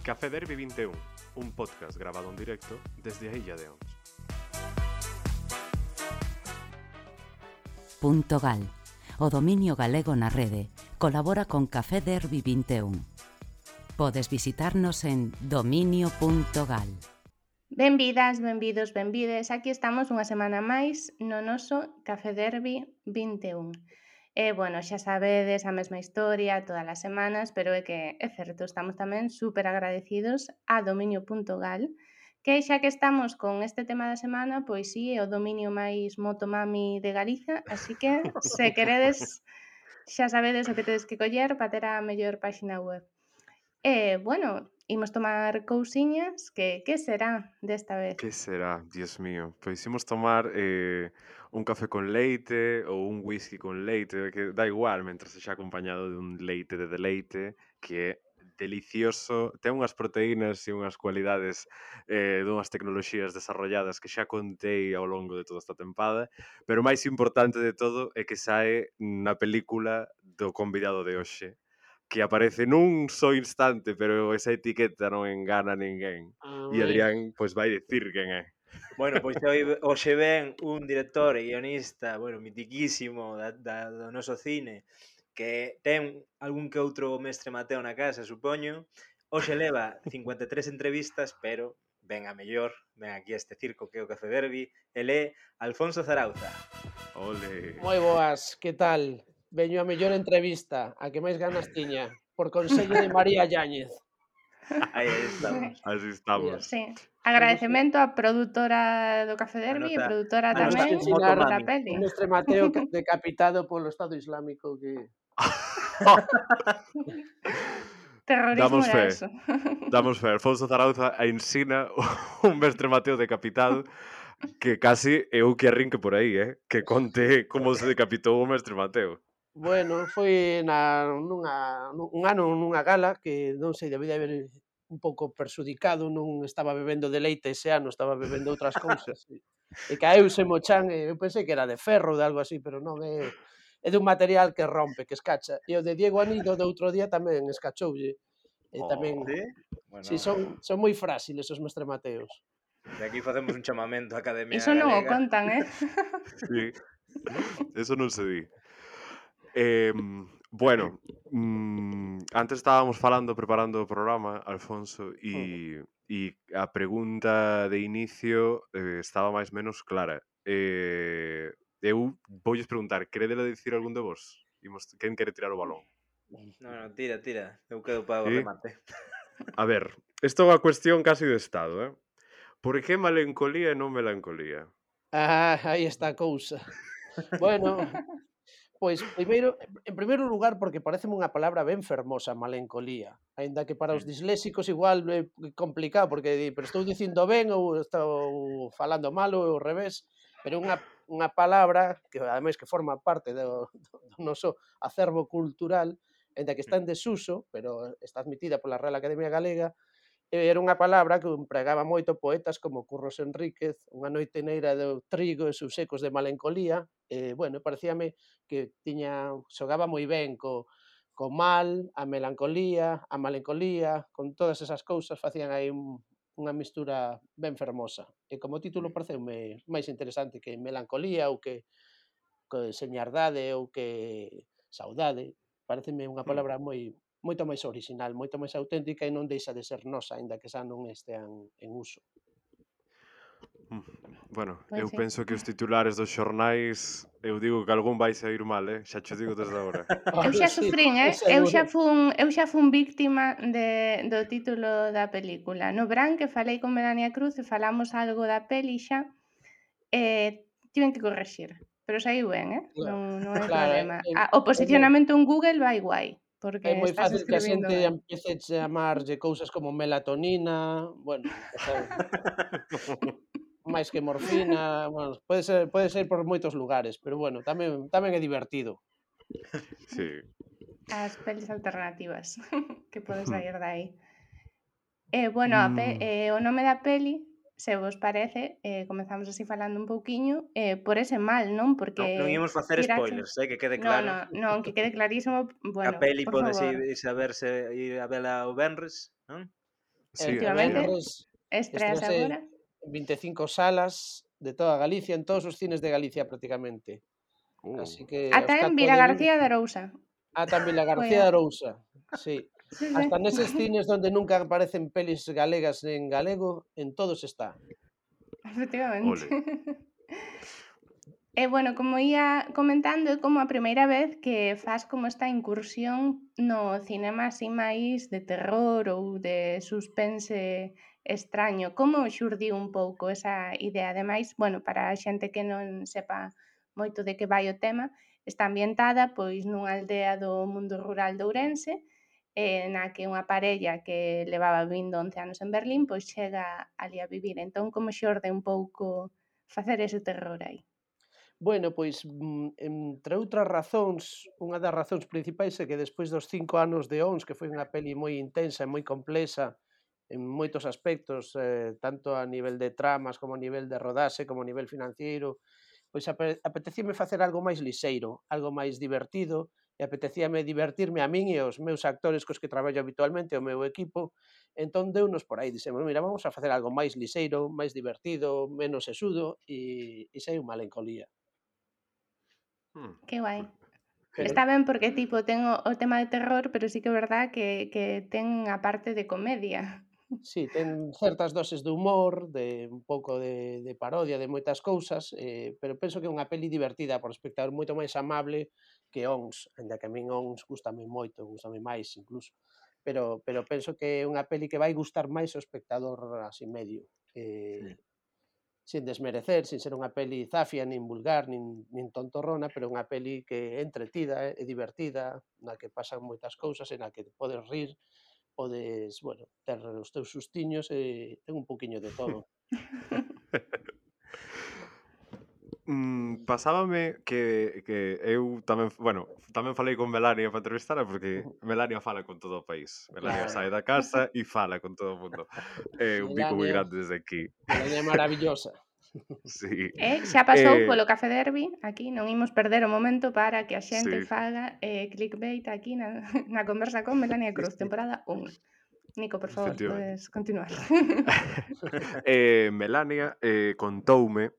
Café Derby 21, un podcast grabado en directo desde a Illa de Ons. .gal, o dominio galego na rede, colabora con Café Derby 21. Podes visitarnos en dominio.gal. Benvidas, benvidos, benvides. Aquí estamos unha semana máis no noso Café Derby 21. Bueno, xa sabedes a mesma historia todas as semanas, pero é que é certo, estamos tamén super agradecidos a dominio.gal, que xa que estamos con este tema da semana, pois sí, é o dominio máis motomami de Galiza, así que se queredes, xa sabedes o que tedes que coller para ter a mellor páxina web. Bueno, imos tomar cousiñas, que será desta vez? Que será, Dios mío? Pois imos tomar un café con leite ou un whisky con leite, que dá igual, mentras sexa acompañado de un leite de deleite, que é delicioso, ten unhas proteínas e unhas cualidades dunhas tecnoloxías desarrolladas que xa contei ao longo de toda esta tempada, pero o máis importante de todo é que sae na película do convidado de hoxe, que aparece nun só instante, pero esa etiqueta non engana a ninguén. E Adrián, pois vai dicir quen é. Bueno, pois hoxe ven un director e guionista, mitiquísimo do noso cine, que ten algún que outro mestre Mateo na casa, supoño. Hoxe leva 53 entrevistas, pero ven a mellor, ven aquí a este circo que é o Café Derby, ele é Alfonso Zarauza. Ole. Moi boas, que tal? Veño a mellor entrevista, a que máis ganas tiña, por consello de María Yáñez. Aí estamos. Así estamos. Sí. Agradecemento á produtora do Café Derby e produtora a nosa tamén motomami. da peli. O mestre Mateo decapitado polo Estado Islámico que... Terrorismo Damos era fe. eso. Damos fe. Alfonso Zarauza ensina un mestre Mateo decapitado que casi é o que arrinque por aí, que conte como se decapitou o mestre Mateo. Bueno, foi un ano nunha gala que non sei, debía haber un pouco persudicado, non estaba bebendo de leite ese ano, estaba bebendo outras cousas. E caeuse mo chan, e eu pensei que era de ferro ou de algo así, pero non, é dun material que rompe, que escacha. E o de Diego Anido do outro día tamén escachoulle. E tamén, Sí? Bueno, si son moi frágiles os mestre Mateos. de aquí facemos un chamamento á Academia Iso non o Galega. contan, Sí. Eso non se di. Bueno, antes estábamos falando, preparando o programa, Alfonso, e a pregunta de inicio estaba máis menos clara. Eu voulles preguntar, queredela dicir algún de vos? Quen quere tirar o balón? No, tira. Eu quedo para o Sí? remate. A ver, isto é unha cuestión casi de estado, Por que malencolía e non melancolía? Aí está a cousa. Bueno, pois en primeiro lugar, porque pareceme unha palabra ben fermosa, malencolía, aínda que para os disléxicos igual é complicado, porque pero estou dicindo ben ou estou falando mal ou ao revés, pero unha palabra que ademais que forma parte do noso acervo cultural, aínda que está en desuso, pero está admitida pola Real Academia Galega. Era unha palabra que empregaba moito poetas como Curros Enríquez, Unha noite neira do trigo e seus ecos de melancolía, bueno, parecíame que xogaba moi ben co mal, a melancolía, con todas esas cousas facían aí unha mistura ben fermosa. E como título pareceume máis interesante que melancolía ou que señardade ou que saudade. Pareceme unha palabra moito máis orixinal, moito máis auténtica e non deixa de ser nosa, aínda que xa non estean en uso. Bueno, Pois eu sí. penso que os titulares dos xornais, eu digo que algún vai sair mal, xa cho digo desde agora. Eu xa Sí, sufrín, seguro. eu xa fun víctima do título da película. No verán que falei con Melania Cruz e falamos algo da peli xa, tiven que correxir, pero saiu ben, non hai Claro, problema. O posicionamento en Google vai guai, é porque moi estás fácil que a escribindo xente ben. empiece a chamarlle cousas como melatonina, bueno, o sea, máis que morfina, bueno, pode ser por moitos lugares, pero bueno, tamén é divertido. Sí. As pelis alternativas que poden sair de aí. Bueno, o nome da peli, se vos parece, comezamos así falando un pouquiño, por ese mal, non? Porque Non íamos facer tirache... spoilers, que quede Non, claro. non, que quede clarísimo, bueno, A peli por podes favor. ir a verse, ir a vela o venres, non? Sí, E tamén cierto. Efectivamente, estreas estrease agora. en 25 salas de toda Galicia, en todos os cines de Galicia prácticamente. Uh, Así que os Ata en catro de Vigo, Vilagarcía de Arousa. ata en Foi Vilagarcía a de Arousa, sí. sí, Hasta sí. neses cines donde nunca aparecen pelis galegas en galego, en todos está. Efectivamente. ole. E bueno, como ia comentando, é como a primeira vez que fas como esta incursión no cinema así máis de terror ou de suspense extraño. Como xurdiu un pouco esa idea? Ademais, bueno, para a xente que non sepa moito de que vai o tema, está ambientada pois nunha aldea do mundo rural de Ourense, na que unha parella que levaba vivindo 11 anos en Berlín, pois chega ali a vivir. Entón, como xorde un pouco facer ese terror aí? Bueno, pois, entre outras razóns, unha das razóns principais é que despois dos 5 anos de ONS, que foi unha peli moi intensa e moi complexa en moitos aspectos, tanto a nivel de tramas, como a nivel de rodaxe, como a nivel financiero, pois apetecíame facer algo máis lixeiro, algo máis divertido, e apetecíame divertirme a min e aos meus actores cos que traballo habitualmente, o meu equipo, entón deunos por aí, dixemos, mira, vamos a facer algo máis lixeiro, máis divertido, menos sesudo, e saíu Malencolía. Hmm. Que guai. Pero Está ben porque, tipo, ten o tema de terror, pero sí que é verdad que ten a parte de comedia. sí, ten certas doses de humor, de un pouco de parodia de moitas cousas, pero penso que é unha peli divertida para o espectador, moito máis amable que ONS, aínda que a min ONS gustame moito, gustame máis incluso, pero penso que é unha peli que vai gustar máis ao espectador así medio, Hmm. sin desmerecer, sin ser unha peli zafia, nin vulgar, nin tontorrona, pero unha peli que é entretida, é divertida, na que pasan moitas cousas e na que podes rir, podes, bueno, ter os teus sustiños e ten un pouquiño de todo. Pasábame que eu tamén, bueno, tamén falei con Melania para entrevistala porque Ujú. Melania fala con todo o país. Melania Claro, sae da casa e fala con todo o mundo. É un bico moi Melania, grande desde aquí. Melania é maravillosa. Sí. Xa pasou Eh, polo Café Derby, aquí non imos perder o momento para que a xente sí, faga clickbait aquí na na conversa con Melania sí, Cruz, sí, temporada 1. Nico, por favor, efectivamente. podes continuar. Melania contoume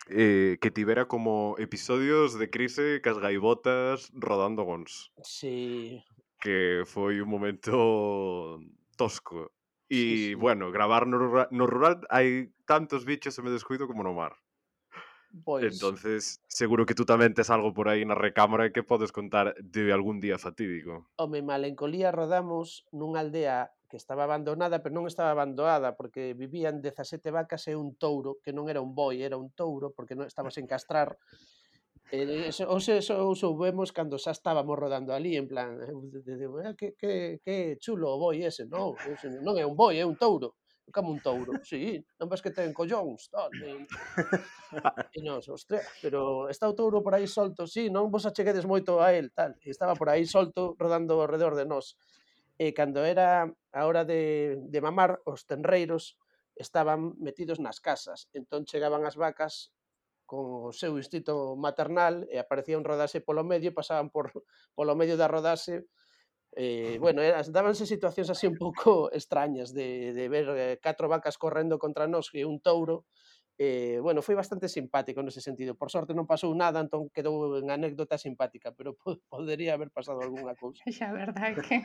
que tivera como episodios de crise cas gaivotas rodando gons, Sí, que foi un momento tosco. sí, E, sí. bueno, gravar no rural hai tantos bichos e me descuido como no mar. Pois, Entonces, seguro que tú tamén tes algo por aí na recámara que podes contar de algún día fatídico. home, Malencolía rodamos nunha aldea que estaba abandonada, pero non estaba abandonada, porque vivían 17 vacas e un touro, que non era un boi, era un touro, porque non estaba sen castrar. Eso soubemos cando xa estábamos rodando ali, en plan, digo, que chulo o boi ese, non, ese non é un boi, é un touro. Como un touro? Sí, non ves que ten collóns, tal, e nós, hostia, pero está o touro por aí solto, sí, non vos acheguedes moito a el, tal, e estaba por aí solto rodando ao redor de nós. E cando era a hora de mamar, os tenreiros estaban metidos nas casas, entón chegaban as vacas con o seu instinto maternal e aparecía un rodaxe polo medio, pasaban polo medio da rodaxe, bueno, dábanse situacións así un pouco extrañas de ver 4 vacas correndo contra nós e un touro. Bueno, foi bastante simpático nese sentido. Por sorte non pasou nada, entón quedou en anécdota simpática, pero podería haber pasado algunha cousa. Xa, verdad que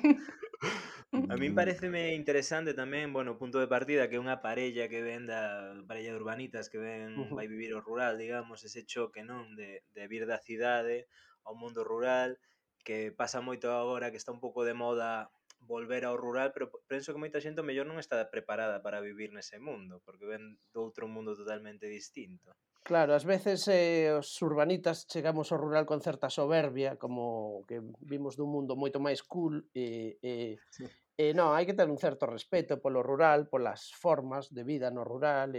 A min Mm, pareceme interesante tamén, bueno, o punto de partida que unha parella que ven da parella de urbanitas que ven Ujú. vai vivir ao rural, digamos, ese choque, non, de vir da cidade ao mundo rural, que pasa moito agora que está un pouco de moda volver ao rural, pero penso que moita xente ao mellor non está preparada para vivir nese mundo, porque ven doutro mundo totalmente distinto. Claro, ás veces os urbanitas chegamos ao rural con certa soberbia, como que vimos dun mundo moito máis cool non, hai que ter un certo respeto polo rural, polas formas de vida no rural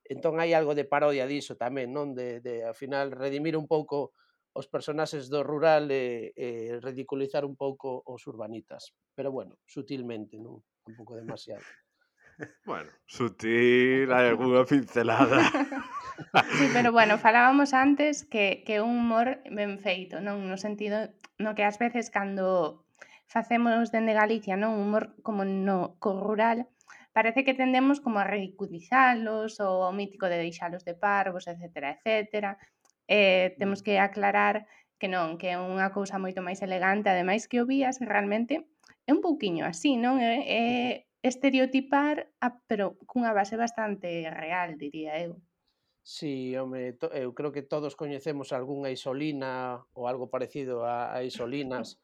entón hai algo de parodia diso tamén, non? De ao final redimir un pouco os personaxes do rural e ridiculizar un pouco os urbanitas. Pero bueno, sutilmente, non? Tampouco demasiado. bueno, sutil, hai algunha pincelada. Sí, pero bueno, falábamos antes que é un humor ben feito, non? No sentido no que ás veces cando facemos dende Galicia, non, humor como no co rural, parece que tendemos como a ridiculizalos ou ao mítico de deixalos de parvos, etcétera, etcétera. Temos que aclarar que non, que é unha cousa moito máis elegante, ademais que o vías realmente é un pouquiño así, non? É estereotipar, pero cunha base bastante real, diría eu. Si, home, eu creo que todos coñecemos algunha Isolina ou algo parecido a Isolinas,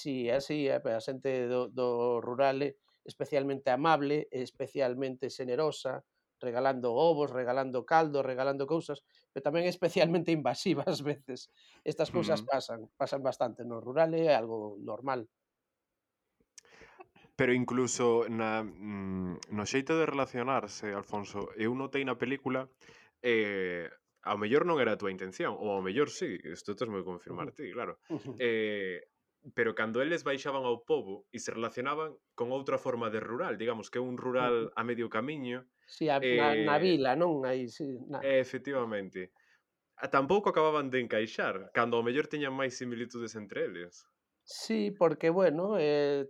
si, é así, a xente do rural é especialmente amable, especialmente xenerosa, regalando ovos, regalando caldo, regalando cousas, pero tamén especialmente invasiva ás veces. Estas cousas Mm. pasan bastante no rural, é algo normal. Pero incluso no xeito de relacionarse, Alfonso, eu notei na película, ao mellor non era a túa intención, ou ao mellor sí, isto tesmo que confirmar Ujú, ti, claro. ujú, Eh, pero cando eles baixaban ao pobo e se relacionaban con outra forma de rural, digamos que é un ujú. rural a medio camiño, Si, na eh, vila, non? Aí si, efectivamente, tampouco acababan de encaixar, cando ao mellor teñan máis similitudes entre eles. sí, porque, bueno,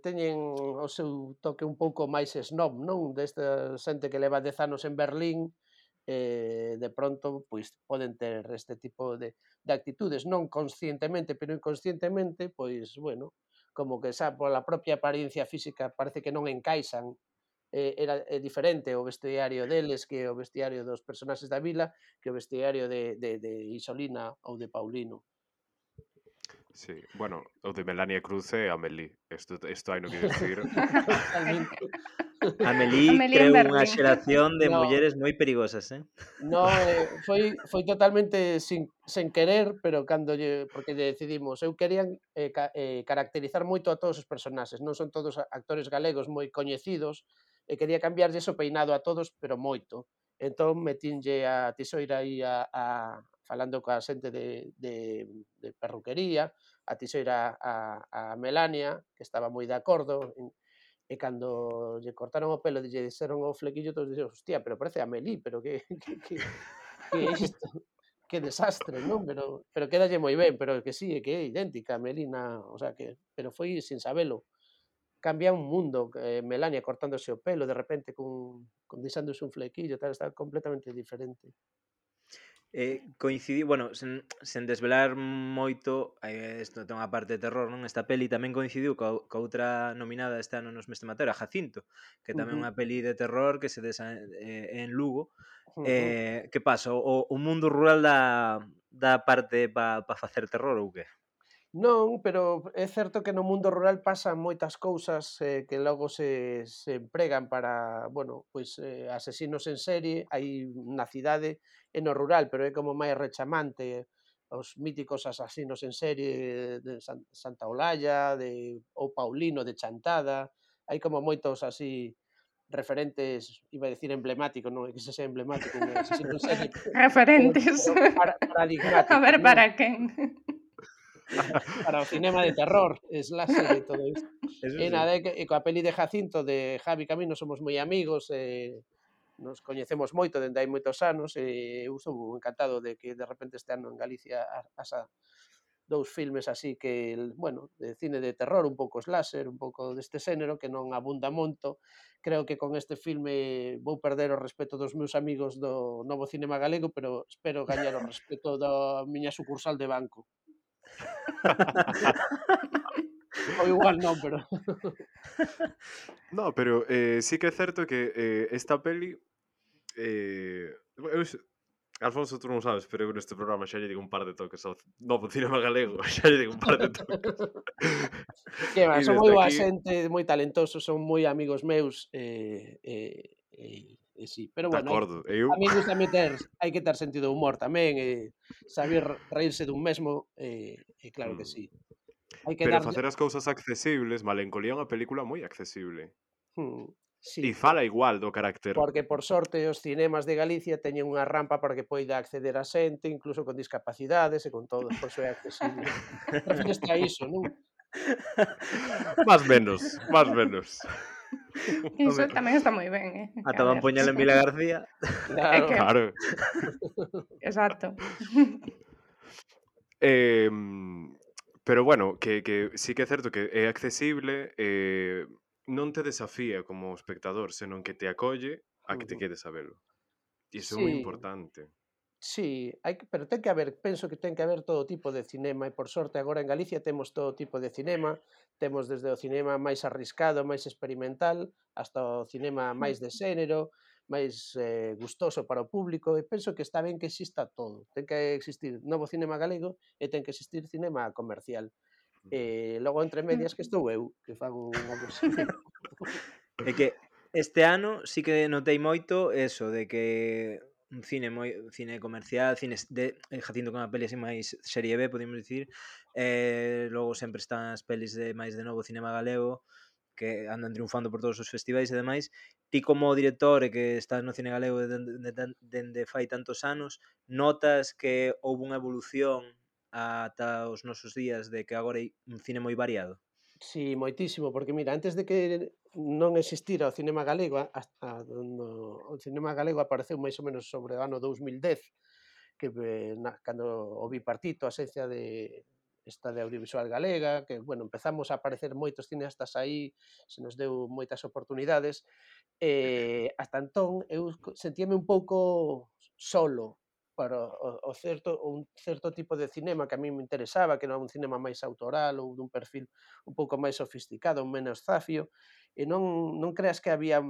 teñen o seu toque un pouco máis snob, non? Desta xente que leva 10 anos en Berlín, de pronto, pois, poden ter este tipo de actitudes, non conscientemente, pero inconscientemente, pois, bueno, como que xa pola propia apariencia física parece que non encaixan, é diferente o vestiario deles que o vestiario dos personaxes da vila, que o vestiario de Isolina ou de Paulino. Sí, bueno, o de Melania Cruz e Amélie, isto haino que dicir. Totalmente. Amélie Amelie en creou unha Berlín. xeración de No, mulleres moi perigosas, eh? no, foi totalmente sen querer, pero cando porque lle decidimos, eu querían, caracterizar moito a todos os personaxes, non son todos actores galegos moi coñecidos, e quería cambiarlles o peinado a todos, pero moito. Entón metinlle a Tisoira aí falando coa xente de perruquería, a Tisoira a Melania, que estaba moi de acordo, e cando lle cortaron o pelo e lle dixeron o flequillo, todos dixeron: "Hostia, pero parece a Amélie, pero que é isto? Que desastre", non? Pero quédalle moi ben, pero que sí, que é idéntica a Amélie o sea que pero foi sin sabelo. Cambia un mundo, Melania cortándose o pelo de repente con deixándose un flequillo, tal, está completamente diferente. Coincidiu, bueno, sen desvelar moito, isto ten unha parte de terror, non? Esta peli tamén coincidiu coa outra nominada este ano nos Mestre Mateo, a Jacinto, que tamén é Ujú, unha peli de terror que se en Lugo. ujú. Que pasa? O mundo rural dá parte pa facer terror ou que? Non, pero é certo que no mundo rural pasan moitas cousas, que logo se empregan para, bueno, pois, asesinos en serie, hai na cidade e no rural, pero é como máis rechamante, os míticos asasinos en serie de Santa Olalla, ou Paulino de Chantada, hai como moitos así referentes, iba a decir emblemáticos, non é que sexa emblemático un asesino en serie, Referentes. A paradigmáticos, ver non? para quen. Para o cinema de terror, slasher e todo isto. Eso E sí. nada, e coa peli de Jacinto de Javi Camino somos moi amigos, nos coñecemos moito dende hai moitos anos e eu estou encantado de que de repente este ano en Galicia haxa 2 filmes así que, bueno, de cine de terror, un pouco slasher, un pouco deste xénero que non abunda monto. Creo que con este filme vou perder o respeto dos meus amigos do novo cinema galego, pero espero gañar o respeto da miña sucursal de banco. Ou igual non, pero No, pero sí que é certo que esta peli Alfonso, tú non sabes, pero eu neste programa xa lle digo un par de toques ao novo cinema galego, xa lle digo un par de toques. que va, E son moi desde boa aquí, xente, moi talentosos, son moi amigos meus, sí, pero de bueno, acordo, a eu min gústame hai que ter sentido de humor tamén, saber reírse dun mesmo, claro que mm, sí. Hai que pero darlle facer as cousas accesibles, Malencolía é unha película moi accesible. sí, E fala igual do carácter. porque por sorte os cinemas de Galicia teñen unha rampa para que poida acceder a xente, incluso con discapacidades e con todo, por iso é accesible. Refíreste a iso, non? Más menos, más menos. Iso Home, tamén está moi ben, ata a van ver. poñela en Vila García. É Claro. que Claro. exacto. Pero bueno, que sí que é certo que é accesible, non te desafía como espectador, senón que te acolle a que te quedes a velo. Iso é moi Sí, importante. sí, pero ten que haber, penso que ten que haber todo tipo de cinema e por sorte agora en Galicia temos todo tipo de cinema, temos desde o cinema máis arriscado, máis experimental, hasta o cinema máis de xénero, máis gustoso para o público e penso que está ben que exista todo. Ten que existir novo cinema galego e ten que existir cinema comercial. E logo entre medias que estou eu, que fago unha versión. É que este ano sí que notei moito eso de que un cine comercial, cines de Jacinto con a peli así máis serie B, podemos dicir, logo sempre están as pelis de máis de novo cinema galego que andan triunfando por todos os festivais e demais. Ti como director e que estás no cine galego dende fai tantos anos, notas que houve unha evolución ata os nosos días de que agora hai un cine moi variado? Sí, moitísimo, porque mira, antes de que non existira o cinema galego, o cinema galego apareceu máis ou menos sobre o ano 2010, que cando o bipartito, a esencia de esta de audiovisual galega, que, bueno, empezamos a aparecer moitos cineastas aí, se nos deu moitas oportunidades, hasta entón eu sentíame un pouco solo para un certo tipo de cinema que a mí me interesaba, que era un cinema máis autoral ou dun perfil un pouco máis sofisticado, menos zafio, e non creas que había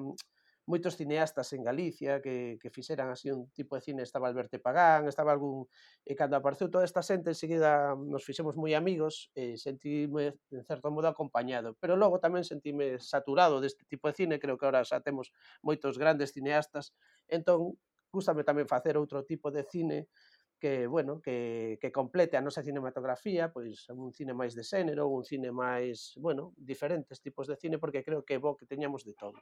moitos cineastas en Galicia que fixeran así un tipo de cine. Estaba Alberto Pagán, estaba algún... E cando apareceu toda esta xente, enseguida nos fixemos moi amigos e sentíme, en certo modo, acompañado. Pero logo tamén sentíme saturado deste tipo de cine, creo que agora xa temos moitos grandes cineastas, entón, gústame tamén facer outro tipo de cine que, bueno, que complete a nosa cinematografía, pois un cine máis de xénero, un cine máis, bueno, diferentes tipos de cine, porque creo que é bo que teñamos de todo.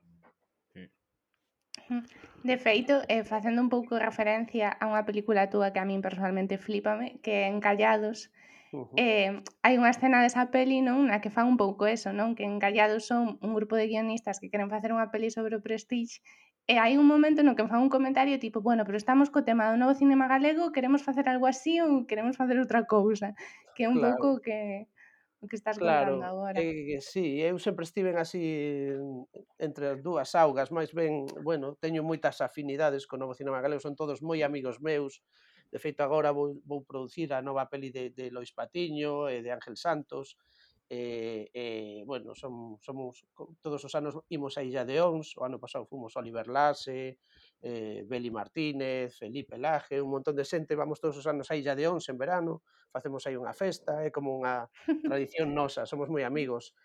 De feito, facendo un pouco referencia a unha película túa que a min personalmente flípame, que é Encallados, Ujú. hai unha escena desa peli, non, na que fan un pouco eso, non, que Encallados son un grupo de guionistas que queren facer unha peli sobre o Prestige e hai un momento no que fan un comentario tipo, bueno, pero estamos co tema do novo cinema galego, queremos facer algo así ou queremos facer outra cousa, que é un Claro. pouco o que estás Claro, contando agora. sí, eu sempre estiven así entre as dúas augas, máis ben, bueno, teño moitas afinidades co novo cinema galego, son todos moi amigos meus. De feito, agora vou producir a nova peli de Lois Patiño e de Ángel Santos, bueno, todos os anos imos a Illa de Ons, o ano pasado fomos Oliver Laxe, Beli Martínez, Felipe Laje, un montón de xente, vamos todos os anos a Illa de Ons en verano, facemos aí unha festa, é como unha tradición nosa, somos moi amigos,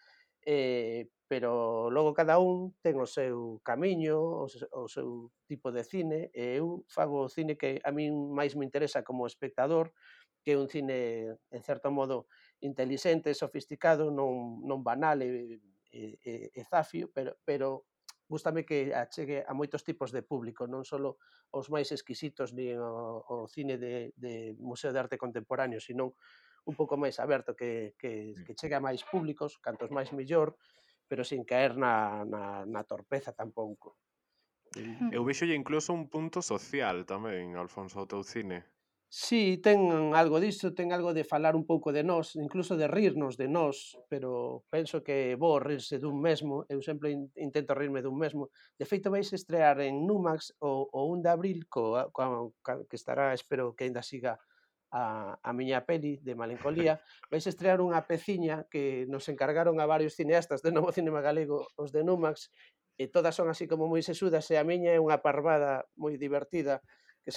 pero logo cada un ten o seu camiño, o seu tipo de cine, e eu fago o cine que a min máis me interesa como espectador, que é un cine, en certo modo, intelixente, sofisticado, non banal e zafio, pero gústame que achegue a moitos tipos de público, non só os máis exquisitos nin o cine de Museo de Arte Contemporáneo, sino un pouco máis aberto que chegue a máis públicos, cantos máis mellor, pero sin caer na torpeza tampouco. Eu vexolle incluso un punto social tamén, Alfonso, ao teu cine. Sí, ten algo diso, ten algo de falar un pouco de nós, incluso de rirnos de nós, pero penso que é bo rirse dun mesmo, eu sempre intento rirme dun mesmo. De feito, vais estrear en Numax o 1 de abril, que estará, espero que aínda siga a miña peli de Malencolía, vais estrear unha peciña que nos encargaron a varios cineastas de Novo Cinema Galego, os de Numax, e todas son así como moi sesudas, e a miña é unha parvada moi divertida, que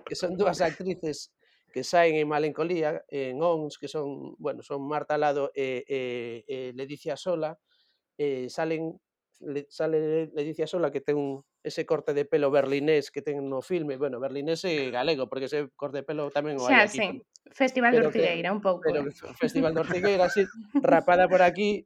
que son dúas actrices que saen en Malencolía, en Ons, que son, bueno, son Marta Lado e Ledicia Sola, sale Ledicia Sola, que ten ese corte de pelo berlinés que ten no filme, bueno, berlinés e galego, porque ese corte de pelo tamén o hai Xa, aquí, sí, Festival de pero que Ortigueira, un pouco, pero o Festival de Ortigueira, así, rapada por aquí,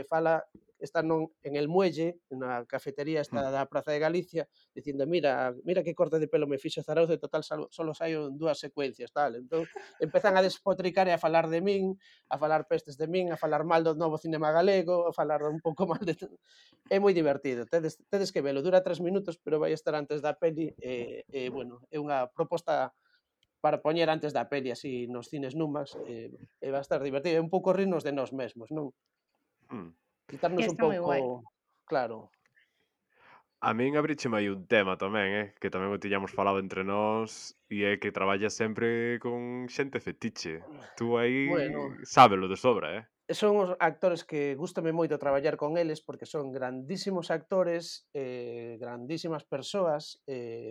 fala, está en El Muelle, na cafetería esta da Praza de Galicia, dicindo: "Mira que corte de pelo me fixo Zarauza, e total solo saio en 2 secuencias", tal. Entón, empezan a despotricar e a falar de min, a falar pestes de min, a falar mal do novo cinema galego, a falar un pouco mal de todo. É moi divertido, tedes que velo, dura 3 minutos, pero vai estar antes da peli, bueno, é unha proposta para poñer antes da peli así nos cines Numax, e vai estar divertido, é un pouco rirnos de nós mesmos, non? Mm. quitarnos un Está moi guai. pouco, claro. A min abrícheme aí un tema tamén, que tamén o tiñamos falado entre nós, e é que traballas sempre con xente fetiche. Tú aí Bueno, sábelo de sobra, son os actores que gústame moito traballar con eles porque son grandísimos actores, grandísimas persoas,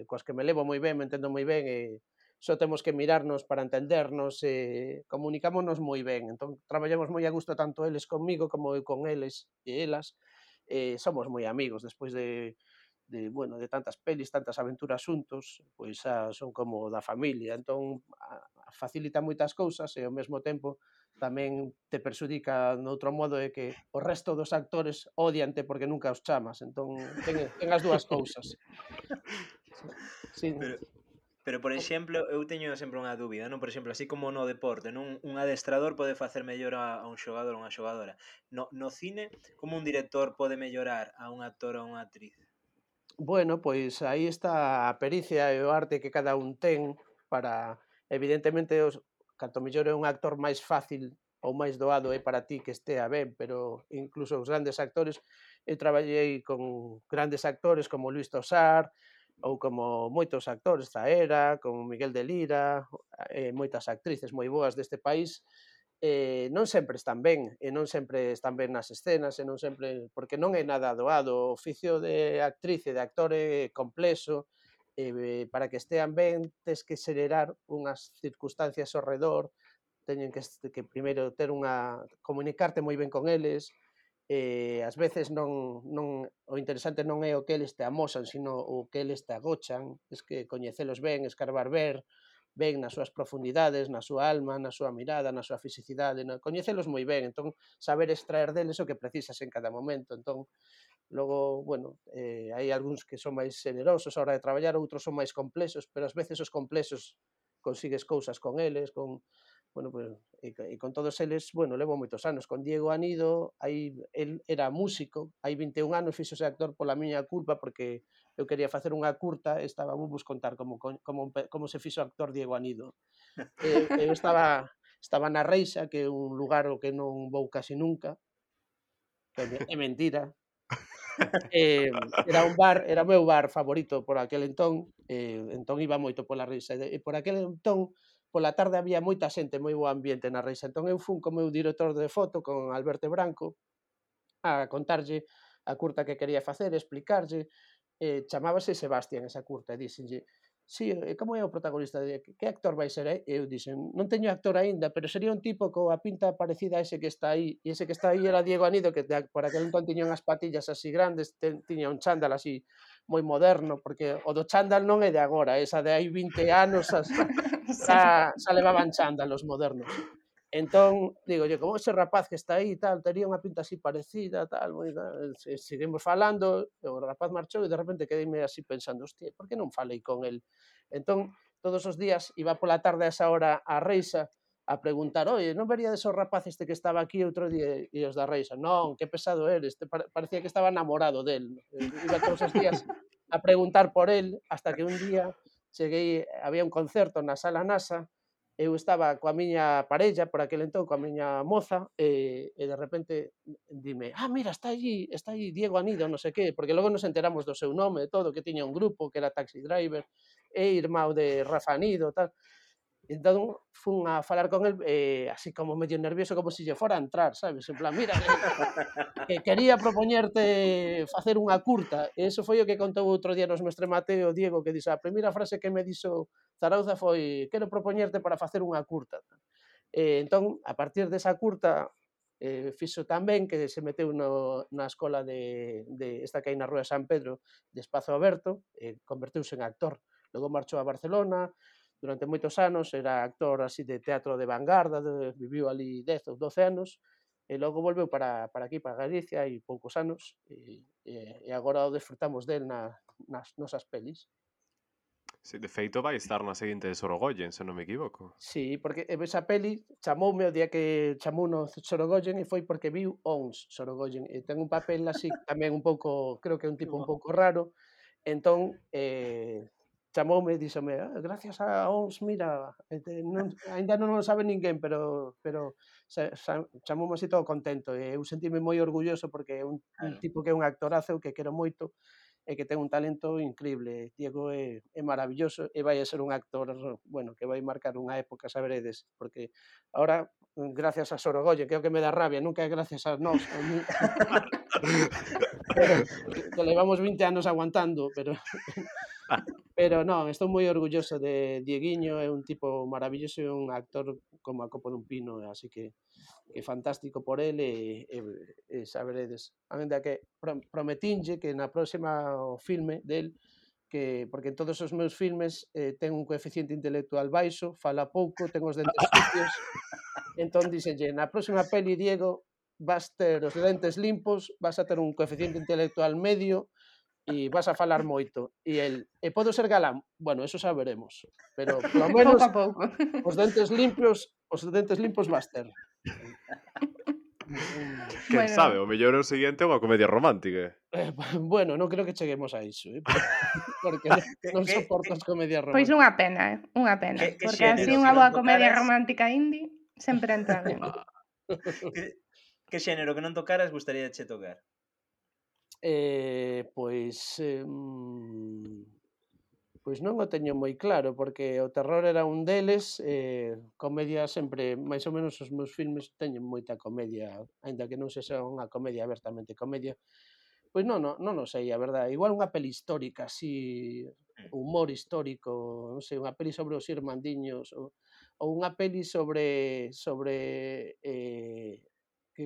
coas que me levo moi ben, me entendo moi ben e só temos que mirarnos para entendernos e comunicámonos moi ben. Entón, traballamos moi a gusto tanto eles comigo como eu con eles e elas. Somos moi amigos despois bueno, de tantas pelis, tantas aventuras xuntos, pois xa son como da familia. Entón, facilita moitas cousas e ao mesmo tempo tamén te perxudica noutro modo de que o resto dos actores odiante porque nunca os chamas. Entón, ten as dúas cousas. Sí, sí. Pero, pero por exemplo, eu teño sempre unha dúbida, non? Por exemplo, así como no deporte, non? Un adestrador pode facer mellor a un xogador ou unha xogadora. No cine, como un director pode mellorar a un actor ou unha actriz? Bueno, pois aí está a pericia e o arte que cada un ten para, evidentemente, canto mellor é un actor máis fácil ou máis doado é para ti que estea ben, pero incluso os grandes actores, eu traballei con grandes actores como Luis Tosar ou como moitos actores, Zaera, como Miguel de Lira, moitas actrices moi boas deste país, non sempre están ben, e non sempre están ben nas escenas, e non sempre porque non é nada doado, o oficio de actriz e de actor é complexo, para que estean ben tes que xerar unhas circunstancias ao redor, teñen que primeiro ter comunicarte moi ben con eles, ás veces non o interesante non é o que eles te amosan, sino o que eles te agochan, tes que coñecelos ben, escarbar ben nas súas profundidades, na súa alma, na súa mirada, na súa fisicidade, coñecelos moi ben, entón saber extraer deles o que precisas en cada momento. Entón, logo, bueno, hai algúns que son máis xenerosos a hora de traballar, outros son máis complexos, pero ás veces os complexos consigues cousas con eles, bueno, pues, e con todos eles, bueno, levo moitos anos. Con Diego Anido, el era músico, hai 21 anos fixose actor pola miña culpa, porque eu quería facer unha curta e estaba vos contar como se fixo actor Diego Anido. Eu estaba na Reixa, que é un lugar ao que non vou casi nunca, que é mentira. Era un bar, era o meu bar favorito por aquel entón, entón iba moito pola Reixa, e por aquel entón, pola tarde había moita xente, moi bo ambiente na Reixa, entón eu fun co meu director de foto, con Alberto Branco, a contarlle a curta que quería facer, explicarlle, chamábase Sebastián esa curta, e díxenlle: "Si, como é o protagonista? Que actor vai ser?" E eu dixen: "Non teño actor aínda, pero sería un tipo coa pinta parecida a ese que está aí." E ese que está aí era Diego Anido, que por aquel entón tiña unhas patillas así grandes, tiña un chándal así moi moderno, porque o do chándal non é de agora, esa de hai 20 anos Sí. xa levaban chándal os modernos. Entón, digolle, como ese rapaz que está aí, tal, tería unha pinta así parecida, tal, moi tal, seguimos falando, e o rapaz marchou e de repente quedeime así pensando, hostia, por que non falei con el? Entón, todos os días iba pola tarde a esa hora á Reixa a preguntar, oye, non veríades o rapaz este que estaba aquí outro día? E os da Reixa, non, que pesado eres, parecía que estaba namorado del. Iba todos os días a preguntar por el, hasta que un día cheguei, había un concerto na Sala NASA, eu estaba coa miña parella por aquel entón, coa miña moza, e de repente dime, mira, está aí Diego Anido, non sei que, porque logo nos enteramos do seu nome e todo, que tiña un grupo, que era Taxi Driver, e irmão de Rafa Anido, tal. Entón, fun a falar con el, así como medio nervioso, como se lle fora a entrar, sabes? En plan, mira, que quería propoñerte facer unha curta, e iso foi o que contou outro día nos Mestre Mateo, Diego, que dixo, a primeira frase que me dixo Zarauza foi, quero propoñerte para facer unha curta. Entón, a partir desa curta, fixo tan ben que se meteu na escola esta que hai na Rúa de San Pedro, de Espazo Aberto, e converteuse en actor. Logo marchou a Barcelona, durante moitos anos, era actor así de teatro de vanguarda, viviu ali 10 ou 12 anos, e logo volveu para aquí, para Galicia, hai poucos anos, e agora o desfrutamos del nas nosas pelis. Sí, de feito vai estar na seguinte de Sorogoyen, se non me equivoco. Sí, porque esa peli chamoume o día que chamouno Sorogoyen e foi porque viu Ons Sorogoyen, e ten un papel así tamén un pouco, creo que é un tipo un pouco raro, entón chamoume e díxome, gracias a ONS, mira, aínda non o sabe ninguén, pero chamoume así todo contento, e eu sentime moi orgulloso porque é un Claro. tipo que é un actorazo que quero moito e que ten un talento increíble. Diego é maravilloso e vai a ser un actor, bueno, que vai marcar unha época, saberedes, porque ahora, gracias a Sorogoyen, que é o que me dá rabia, nunca é gracias a nós, a mí, que levamos 20 anos aguantando, pero non, estou moi orgulloso de Dieguiño, é un tipo maravilloso e un actor como a copo dun pino, así que fantástico por el e saberedes. Ainda que prometinlle que na próxima o filme del, que porque en todos os meus filmes ten un coeficiente intelectual baixo, fala pouco, ten os dentes sucios, entón díxenlle, na próxima peli, Diego, vas ter os dentes limpos, vas a ter un coeficiente intelectual medio e vas a falar moito. E el, podo ser galán? Bueno, eso xa veremos, pero polo Pouco menos a pouco. os dentes limpos vas ter. Quen sabe, Bueno, o mellor o seguinte é unha comedia romántica. Bueno, non creo que cheguemos a iso, porque non soporto as comedias pois románticas. unha pena, unha pena, Que porque así xénero que unha non boa comedia tocaras? romántica indie sempre entra ben. Que xénero que non tocaras gustaríache tocar? Pois, pois non o teño moi claro, porque o terror era un deles, comedia sempre, máis ou menos os meus filmes teñen moita comedia, aínda que non sexa unha comedia abertamente comedia. Pois non o sei, a verdade. Igual unha peli histórica, así, humor histórico, non sei, unha peli sobre os irmandiños ou unha peli sobre que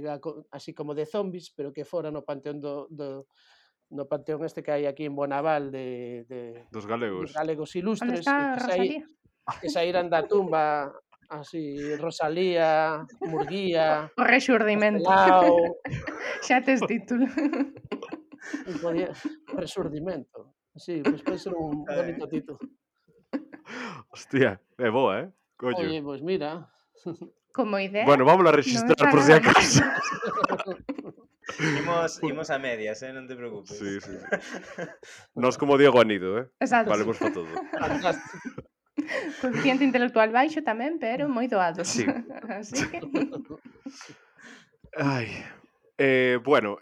así como de zombies, pero que fora no panteón no panteón este que hai aquí en Bonaval Dos dos galegos. galegos Onde ilustres está Rosalía? que saíran da tumba así Rosalía, Murguía, O rexurdimento. Castelao, Xa tes título. podía o resurdimento. Sí, pois pode ser un bonito título. Hostia, é boa, Coño. Oye, pois mira. Como idea, Bueno, vámola a non rexistrar está por si nada mal. acaso. Imos a medias, non te preocupes. Sí. Nos como Diego Anido, Exacto. Valemos para todo. Fantástico. Coeficiente intelectual baixo tamén, pero moi doados. Sí. Así que Ai. Bueno,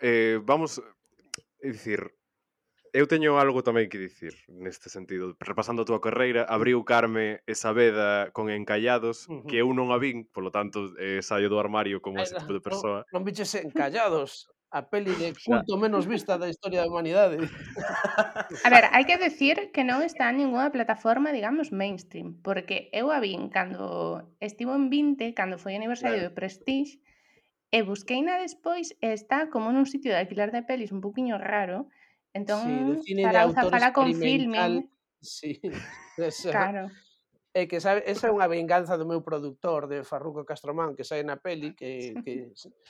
vamos... É dicir, eu teño algo tamén que dicir neste sentido. Repasando a túa carreira, abriu Carme e Saavedra con Encallados, que eu non a vin, polo tanto, saio do armario como ese tipo de persoa. Non biches Encallados, a peli de Xa. culto menos vista da historia da humanidade. a ver, hai que decir que non está en ningunha plataforma, digamos, mainstream, porque eu a vin cando estivo en 20, cando foi aniversario Claro. de Prestige, e busqueina despois e está como nun sitio de alquiler de pelis un poquinho raro, Sí, de entón cine de Zarauza autor fala con experimental. Filmin, Sí, esa. claro. É que sabe, esa é unha venganza do meu produtor, de Farruco Castromán, que sae na peli, que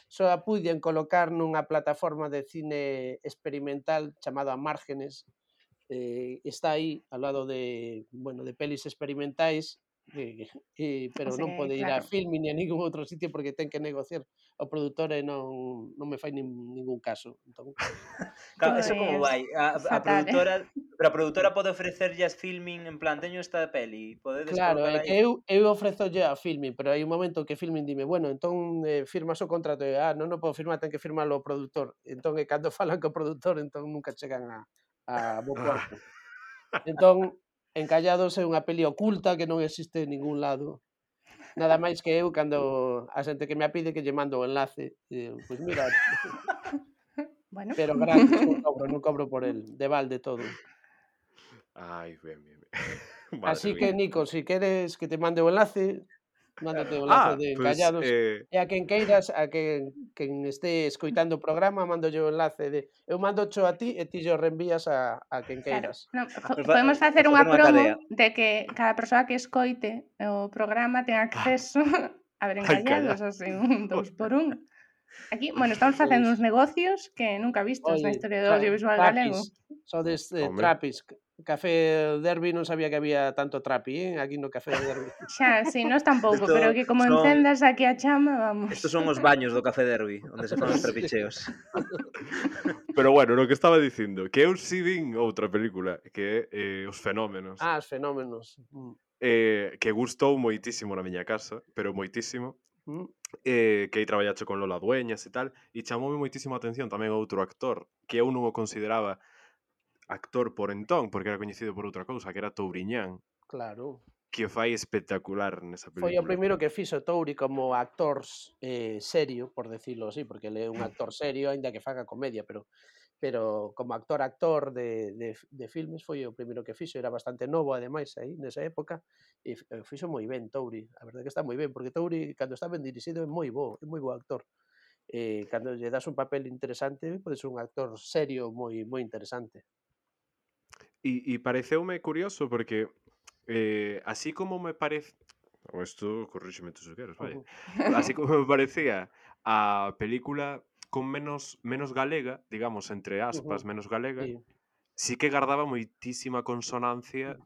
só a puiden colocar nunha plataforma de cine experimental chamado A Márgenes. Está aí ao lado de, bueno, de pelis experimentais, pero Así non que, pode ir a claro. Filmin ni a ningún outro sitio porque ten que negociar o produtor e non me fai ningún caso. Entón, Claro, eso como Pois vai? A fatal. produtora, pero a produtora pode ofrecerlles Filmin en plan, teño esta peli, podedes claro, é colocala que aí? eu ofrezolle a Filmin, pero hai un momento que Filmin dime, bueno, entón firmas o contrato, e non o podo firmar, ten que firmalo o produtor. Entón, cando falan co produtor, entón nunca chegan a bo porto. Entón, Encallados é unha peli oculta que non existe en ningún lado. Nada máis que eu, cando a xente que me a pide, que lle mando o enlace, pois mira, Bueno. pero gratis, non cobro por el, de balde todo. Ai, ben. Madre Así que, mía. Nico, si queres que te mande o enlace, mándate o enlace de Pues, Encallados. E a quen queiras, a quen este escoitando o programa, mandolle o enlace de... Eu mandocho a ti e ti o reenvías a quen Claro, queiras. non, podemos facer Facer unha unha promo cadea. de que cada persoa que escoite o programa ten acceso a ver Ai, Encallados, calla. así, un 2 por 1. Aquí, bueno, estamos facendo Pois, uns negocios que nunca vistos na oye, historia do audiovisual galego. Trapis, sodes Home. Trapis. Café Derby non sabía que había tanto trapi, aquí no Café Derby. Xa, si, nós tampouco, pero que como son encendas aquí a chama, vamos. Estos son os baños do Café Derby, onde se fan os Sí. trapicheos. Pero bueno, no que estaba dicindo, que eu si vin outra película, que é Os Fenómenos, Os fenómenos. que gustou moitísimo na miña casa, pero moitísimo, que aí traballache con Lola Dueñas e tal, e chamoume moitísimo a atención tamén outro actor, que eu non o consideraba actor por entón, porque era coñecido por outra cousa, que era Touriñán, Claro. que o fai espectacular nesa Foi o película. primeiro que fixo Touri como actor serio, por decirlo así, porque ele é un actor serio, aínda que faga comedia, pero como actor de filmes foi o primeiro que fixo, era bastante novo ademais aí nesa época e fixo moi ben Touri, a verdade que está moi ben, porque Touri cando está ben dirixido é moi bo actor. Cando lle das un papel interesante, pode ser un actor serio moi interesante. E pareceume curioso porque así como me parece, o isto corríxeme tú se queres, vaya. Así como me parecía a película con menos galega, digamos, entre aspas, menos galega, Sí. sí que gardaba moitísima consonancia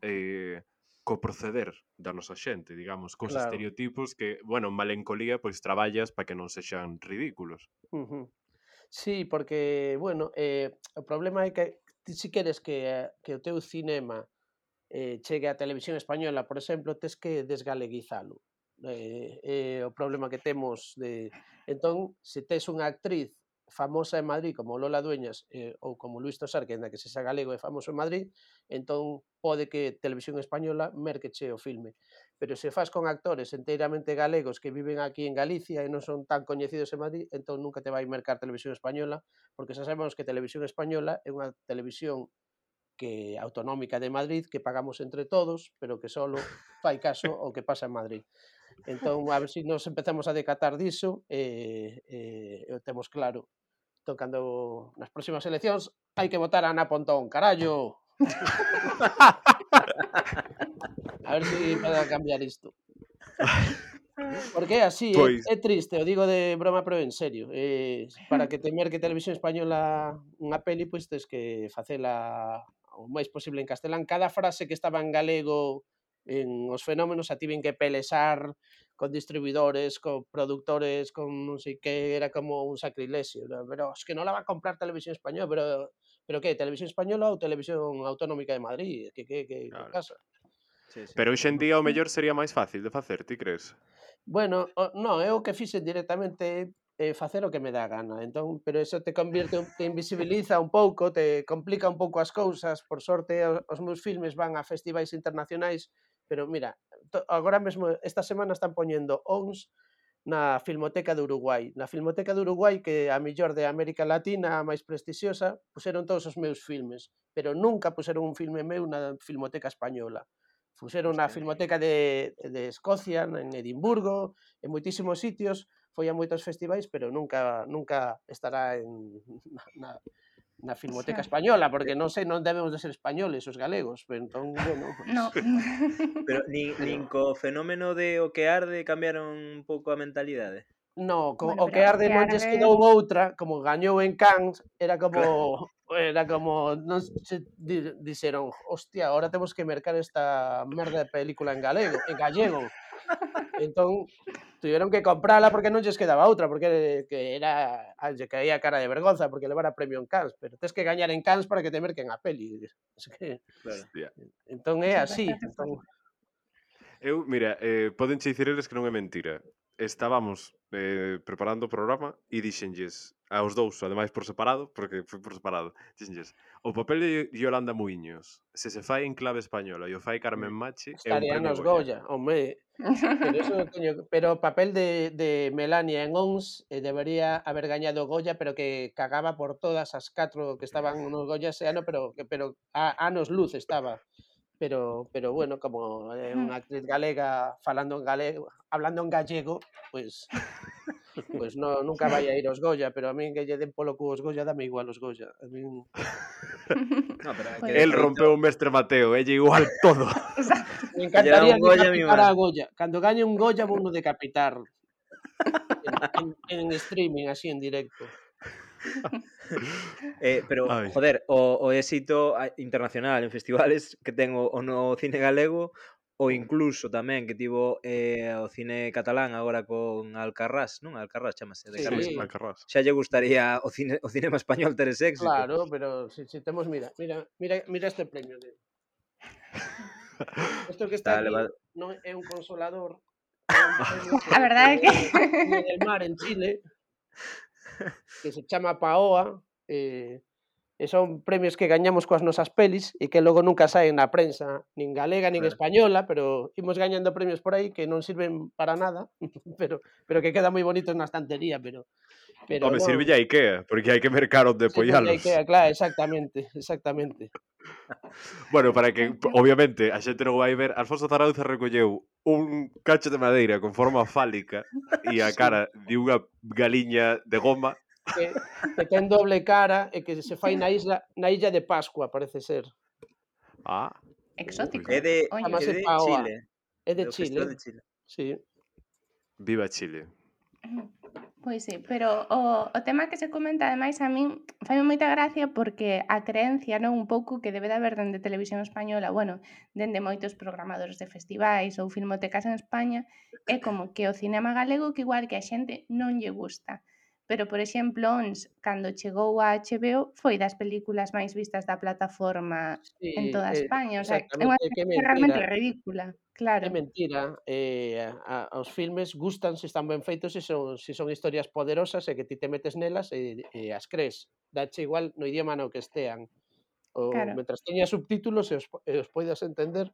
co proceder da nosa xente, digamos, cos Claro. estereotipos que, bueno, en Malencolía pois traballas para que non sexan ridículos. Sí, porque, bueno, o problema é que ti si queres que o teu cinema chegue á televisión española, por exemplo, tes que desgaleguizalo. O problema que temos Entón, se tes unha actriz famosa en Madrid como Lola Dueñas ou como Luís Tosar, que aínda que sexa galego e famoso en Madrid, entón pode que Televisión Española merqueche o filme. Pero se fas con actores enteiramente galegos que viven aquí en Galicia e non son tan coñecidos en Madrid, entón nunca te vai mercar Televisión Española, porque xa sabemos que Televisión Española é unha televisión que autonómica de Madrid, que pagamos entre todos, pero que solo fai caso ao que pasa en Madrid. Entón, a ver se nos empezamos a decatar diso o temos claro. Entón, cando nas próximas eleccións hai que votar a Ana Pontón, carallo! A ver se empeza a cambiar isto. Porque é así, Pois, é triste, o digo de broma, pero en serio. Para que te merque Televisión Española unha peli, pois tes que facela o máis posible en castelán. Cada frase que estaba en galego en Os Fenómenos a tiven que pelesar con distribuidores, con productores, con non sei que, era como un sacrilexio. Pero es que non la va a comprar Televisión Española, pero que, Televisión Española ou Televisión Autonómica de Madrid? Que claro. pasa? Sí, sí. Pero hoxe en día o mellor sería máis fácil de facer, ti crees? Bueno, non, eu o que fixen directamente facer o que me dá a gana. Entón, pero eso te invisibiliza un pouco, te complica un pouco as cousas. Por sorte, os meus filmes van a festivais internacionais, pero mira, agora mesmo esta semana están poñendo ONS na Filmoteca de Uruguai. Na Filmoteca de Uruguai, que a mellor de América Latina, a máis prestixiosa, puseron todos os meus filmes, pero nunca puseron un filme meu na Filmoteca Española. Puseron na Hostia. Filmoteca de Escocia, en Edimburgo, en moitísimos sitios, foi a moitos festivais, pero nunca estará na Filmoteca Xa. Española, porque non sei, non debemos de ser españoles os galegos, pero entón, bueno, pues, No. Pero nin co fenómeno de O que arde cambiaron un pouco a mentalidade. no, Bueno, o pero que o arde que non lles arde quedou outra, como gañou en Cannes, era Claro. como non se dixeron, hostia, ahora temos que mercar esta merda de película en gallego. Entón, tiveron que comprala porque non lles quedaba outra, porque que era lle caía cara de vergonza porque levara premio en Cannes, pero tes que gañar en Cannes para que te merquen a peli. Es que Claro. Hostia. entón é Sí, así, bastante entón Eu, mira, podenche dicir eles que non é mentira. Estábamos preparando o programa e dixenlles aos dous, ademais por separado, porque foi por separado, dixenlles, o papel de Yolanda Muiños, se se fai en clave española e o fai Carmen Machi, é un estarían premio nos Goya. Goya, home. Pero eso pero o papel de Melania en ONS debería haber gañado Goya, pero que cagaba por todas as 4 que estaban nos Goya ese ano, pero a anos luz estaba. Pero bueno, como é unha actriz galega falando en galego, hablando en gallego, pues no, nunca vai a ir aos Goya, pero a min que lle den polo cu os Goya, dame igual os Goya. A min No, pero que Pois de El sí. rompeu o mestre Mateo, lle igual todo. Exacto. me Que lle dan encantaría un Goya, mi decapitar man. a Goya. Cando gañe un Goya, vouno decapitar en streaming, así en directo. Pero, Ai, joder, o éxito internacional en festivales que ten o no cine galego ou incluso tamén que tivo o cine catalán agora con Alcarrás, non? Alcarrás chamase, de sí, Carles Sí, Paz. Alcarrás. Xa lle gustaría o cinema español ter ese éxito. claro, pero si temos, mira este premio de isto que está Está aquí elevado. non é un consolador, é un premio A verdade é que que Viña del Mar en Chile, que se chama Paoa, e son premios que gañamos coas nosas pelis e que logo nunca saen na prensa, nin galega nin Claro. española, pero imos gañando premios por aí que non sirven para nada, pero que quedan moi bonitos na estantería, pero Home, non, sirve a IKEA, porque hai que mercar onde sirven de apoialos. IKEA, claro, exactamente. Bueno, para que, Exacto. obviamente, a xente non vai ver, Alfonso Zarauza recolleu un cacho de madeira con forma fálica e a Sí, cara de unha galiña de goma. que que ten doble cara e que se fai na illa de Pascua, parece ser. Ah, pois Exótico. É de, Ollo. é Chámase de Paoa, Chile, é de do Chile, Festival de Chile. sí. viva Chile. Pois sí, pero o tema que se comenta ademais a min faime moita gracia porque a creencia, non, un pouco que debe de haber dende Televisión Española, bueno, dende moitos programadores de festivais ou filmotecas en España, é como que o cinema galego que igual que a xente non lle gusta. Pero, por exemplo, ONS, cando chegou a HBO, foi das películas máis vistas da plataforma en Sí, toda España, o sea, é unha exactamente, que é creencia mentira, realmente ridícula, é claro. mentira. Os filmes gustan se están ben feitos, se son historias poderosas e que ti te metes nelas e as crees. Dache igual no idioma no que estean. Claro. Mentras teña subtítulos e os poidas entender,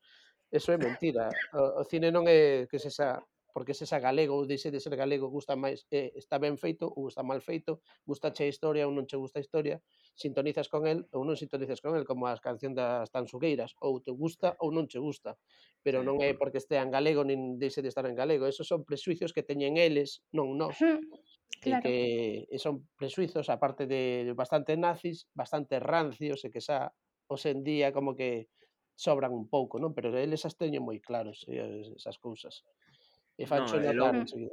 eso é mentira. O cine non é que sexa porque sexa galego ou deixe de ser galego, gusta máis, está ben feito ou está mal feito, gustache a historia ou non che gusta a historia, sintonizas con el ou non sintonizas con el, como as canción das Tansugueiras, ou te gusta ou non che gusta, pero Sí. non é porque estea en galego nin deixe de estar en galego, esos son prexuicios que teñen eles, non nós, e Claro. son prexuizos, aparte de bastante nazis, bastante rancios e que xa hoxe en día como que sobran un pouco, non? Pero eles as teñen moi claros, esas cousas. E No, fancho notar enseguida.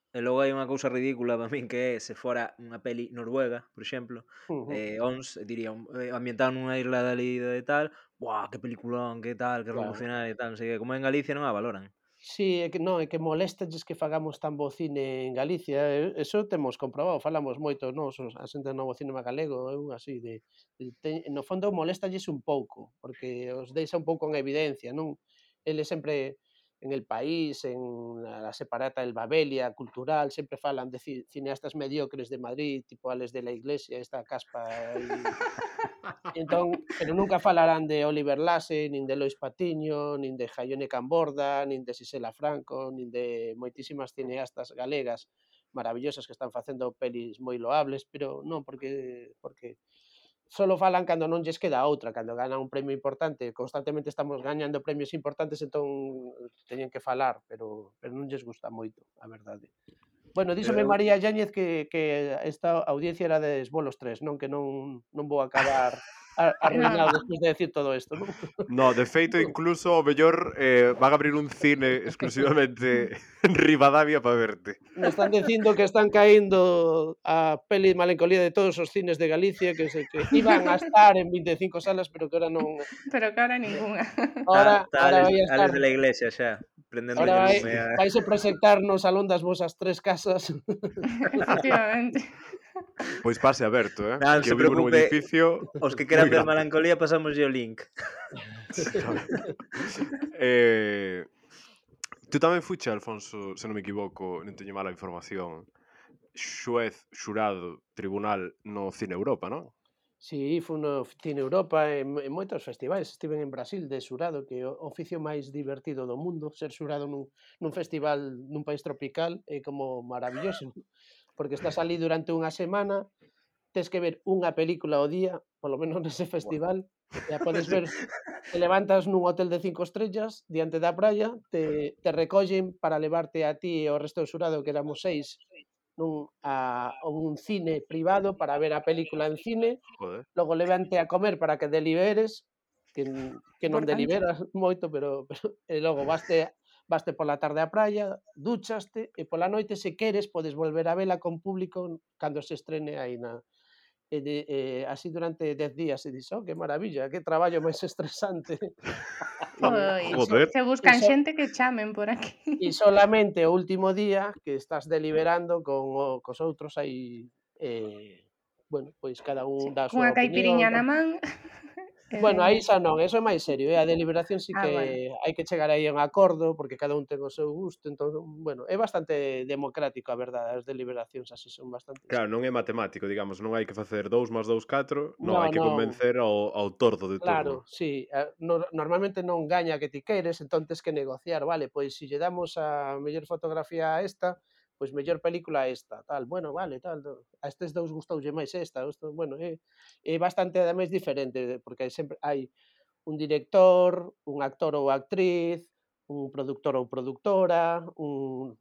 e logo hai unha cousa ridícula para min que é se fora unha peli noruega, por exemplo, Ujú, ONS, diría, ambientado nunha isla dali de tal, buah, que peliculón, que tal, que claro. revolucionario e tal, non sei que, como en Galicia non a valoran. Sí, é que non, é que moléstalles que fagamos tan bo cine en Galicia, eso temos comprobado, falamos moito nós, a xente do novo cinema galego, eu así no fondo moléstalles un pouco, porque os deixa un pouco en evidencia, non? Eles sempre en El País, en la separata El Babelia cultural, sempre falan de cineastas mediocres de Madrid, tipo Ales de la Iglesia, esta caspa aí. Entón, pero nunca falarán de Oliver Lasse, nin de Lois Patiño, nin de Jaione Camborda, nin de Sisela Franco, nin de moitísimas cineastas galegas maravillosas que están facendo pelis moi loables, pero non porque solo falan cando non lles queda outra, cando ganan un premio importante, constantemente estamos gañando premios importantes, entón teñen que falar, pero non lles gusta moito, a verdade. Bueno, díxome Eu, María Yáñez que esta audiencia era de Esbolos 3, non? Que non vou acabar Non, arruinado despois de decir todo isto, non? No, de feito, incluso o mellor van a abrir un cine exclusivamente en Ribadavia para verte. Me están dicindo que están caendo a peli Malencolía de todos os cines de Galicia, que iban a estar en 25 salas, pero que ahora non. pero que ahora ningunha. Ahora vai a estar. Ales de la Iglesia xa, Ahora prendéndolle vai, lume a... vaise proxectar no Salón das Vosas Tres Casas. Efectivamente. Pois pase aberto, Non que se eu vivo nun preocupe, edificio os que moi queran ver grande. Melancolía pasamos o link. eh, tú tamén fuche, Alfonso, se non me equivoco, non teño mala información, xuez, xurado, tribunal no Cine Europa, non? Sí, fun no Cine Europa en moitos festivais. Estiven en Brasil de xurado, que é o oficio máis divertido do mundo. Ser xurado nun festival nun país tropical é como maravilloso, porque estás ali durante unha semana, tes que ver unha película ao día, polo menos nese Buah. festival, e a podes ver, te levantas nun hotel de 5 estrellas diante da praia, te recollen para levarte a ti e ao resto do xurado, que éramos 6, a un cine privado para ver a película en cine, Joder. logo levante a comer para que deliberes, que non Importante. deliberas moito, pero e logo vaste pola tarde á praia, dúchaste e pola noite, se queres, podes volver a vela con público cando se estrene aí así durante 10 días e dis: "Oh, que maravilla, que traballo máis estresante". Pois, Joder. se E buscan so xente que chamen por aquí. e solamente o último día que estás deliberando cos outros aí, bueno, pois cada Sí, un dá a súa cunha opinión, caipiriña na tal. man e Bueno, aí veña. xa non, eso é máis serio, a deliberación sí Ah, que bueno. hai que chegar aí a un acordo, porque cada un ten o seu gusto, entón, bueno, é bastante democrático, a verdade, as deliberacións así son bastante Claro, non é matemático, digamos, non hai que facer 2 máis 2 4, non, no, hai que non. convencer ao tordo de turno. Claro, sí, normalmente non gaña a que ti queres, entón tes que negociar, vale, pois se lle damos a mellor fotografía a esta, pois mellor película a esta, tal, bueno, vale, tal, a estes dous gustoulle máis esta, isto, bueno, é bastante ademais diferente, porque hai un director, un actor ou actriz, un produtor ou produtora, un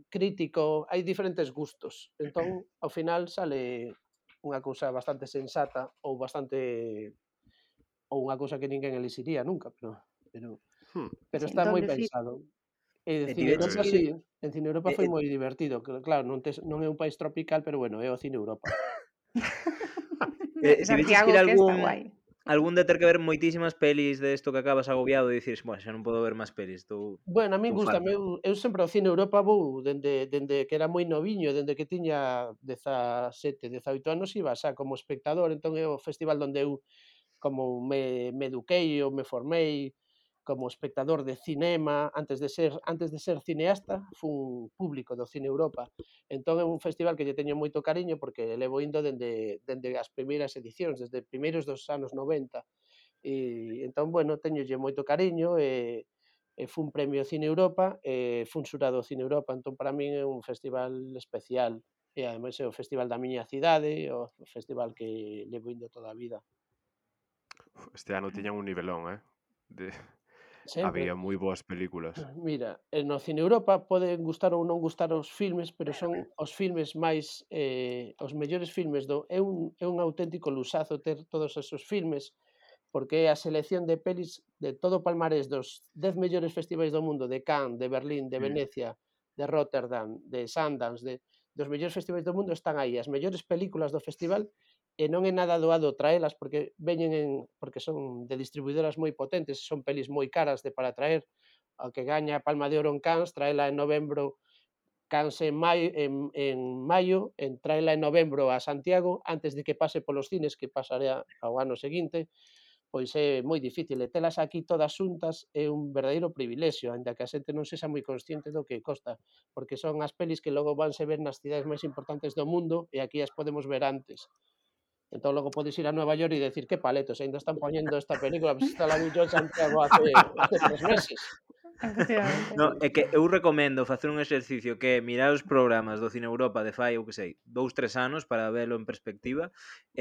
crítico, hai diferentes gustos, entón ao final sale unha cousa bastante sensata ou bastante ou unha cousa que ninguén elixiría nunca, pero Hmm, pero Sí, está moi doble filo. pensado. E de E Cine tiveches Europa que ir sí, en Cine Europa e foi e moi divertido, claro, non é un país tropical, pero bueno, é o Cine Europa. tiveches que ir Santiago, a que está guai. algún de ter que ver moitísimas pelis de isto que acabas agobiado e dicires: "Buah, xa non podo ver máis pelis, Bueno, a min estou gústame, farto". eu sempre ao Cine Europa vou dende que era moi noviño, dende que tiña 17, 18 anos iba xa como espectador, entón é o festival onde eu como me eduquei ou me formei como espectador de cinema antes de ser cineasta, fun público do Cine Europa. Entón é un festival que lle teño moito cariño porque levo indo dende as primeiras edicións, desde primeiros dos anos 90. Entón, bueno, teñolle moito cariño e fun premio Cine Europa e fun xurado Cine Europa, entón para min é un festival especial e ademais é o festival da miña cidade, o festival que levo indo toda a vida. este ano tiñan un nivelón, de Sempre. había moi boas películas. Mira, no Cine Europa poden gustar ou non gustar os filmes, pero son os filmes máis, os mellores filmes é un auténtico luxazo ter todos esos filmes, porque é a selección de pelis de todo o palmarés dos 10 mellores festivais do mundo, de Cannes, de Berlín, de Mm. Venecia, de Rotterdam, de Sundance, dos mellores festivais do mundo están aí, as mellores películas do festival, e non é nada doado traelas porque porque son de distribuidoras moi potentes, son pelis moi caras para traer, ao que gaña a Palma de Oro en Cannes, traela en novembro, Cannes en maio, traela en novembro a Santiago, antes de que pase polos cines, que pasará ao ano seguinte, pois é moi difícil, e telas aquí todas xuntas é un verdadeiro privilexio, aínda que a xente non sexa moi consciente do que costa, porque son as pelis que logo vanse ver nas cidades máis importantes do mundo e aquí as podemos ver antes. Entón logo podes ir a Nueva York e decir: "Que paletos, aínda están poñendo esta película, pois esta la vi yo en Santiago hace 3 meses". Efectivamente. No, é que eu recomendo facer un exercicio que é mirar os programas do Cine Europa de fai, eu que sei, 2, 3 anos para velo en perspectiva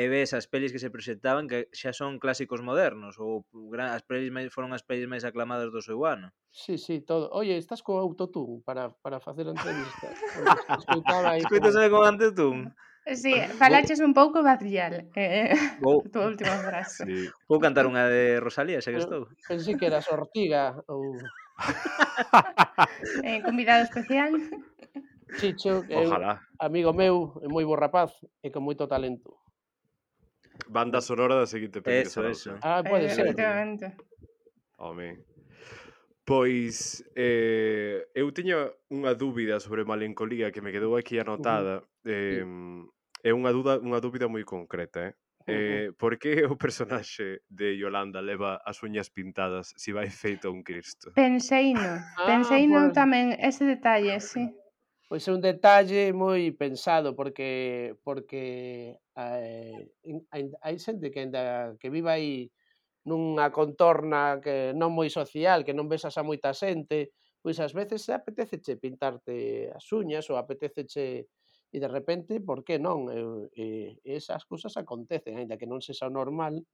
e ves as pelis que se presentaban que xa son clásicos modernos ou as pelis foron as pelis máis aclamadas do seu ano. Sí, sí, todo. Oye, estás co autotune para facer a entrevista? Porque escoitaba aí como Escoitaseme con antes dun. Sí, Vou, falaches un pouco vacial, vou, a túa última frase. Sí. vou cantar unha de Rosalía, xa que pero estou. pensei que eras Ortiga ou Convidado especial. Chicho, que é un Ojalá. amigo meu, é moi bo rapaz e con moito talento. Banda sonora da seguinte peli de Eso, Zarauza. eso. Pode ser. Efectivamente. Home. Pois, eu tiña unha dúbida sobre Malencolía que me quedou aquí Ujú, anotada, sí, é unha dúbida moi concreta, ujú. por que o personaxe de Yolanda leva as uñas pintadas se vai feito un cristo? Penseino Pois tamén ese detalle, sí. é un detalle moi pensado porque hai xente que aínda que vive aí nunha contorna que non moi social, que non besas a moita xente, pois ás veces apetéceche pintarte as uñas ou apetéceche e de repente, por que non? Esas cousas acontecen, aínda que non sexa o normal,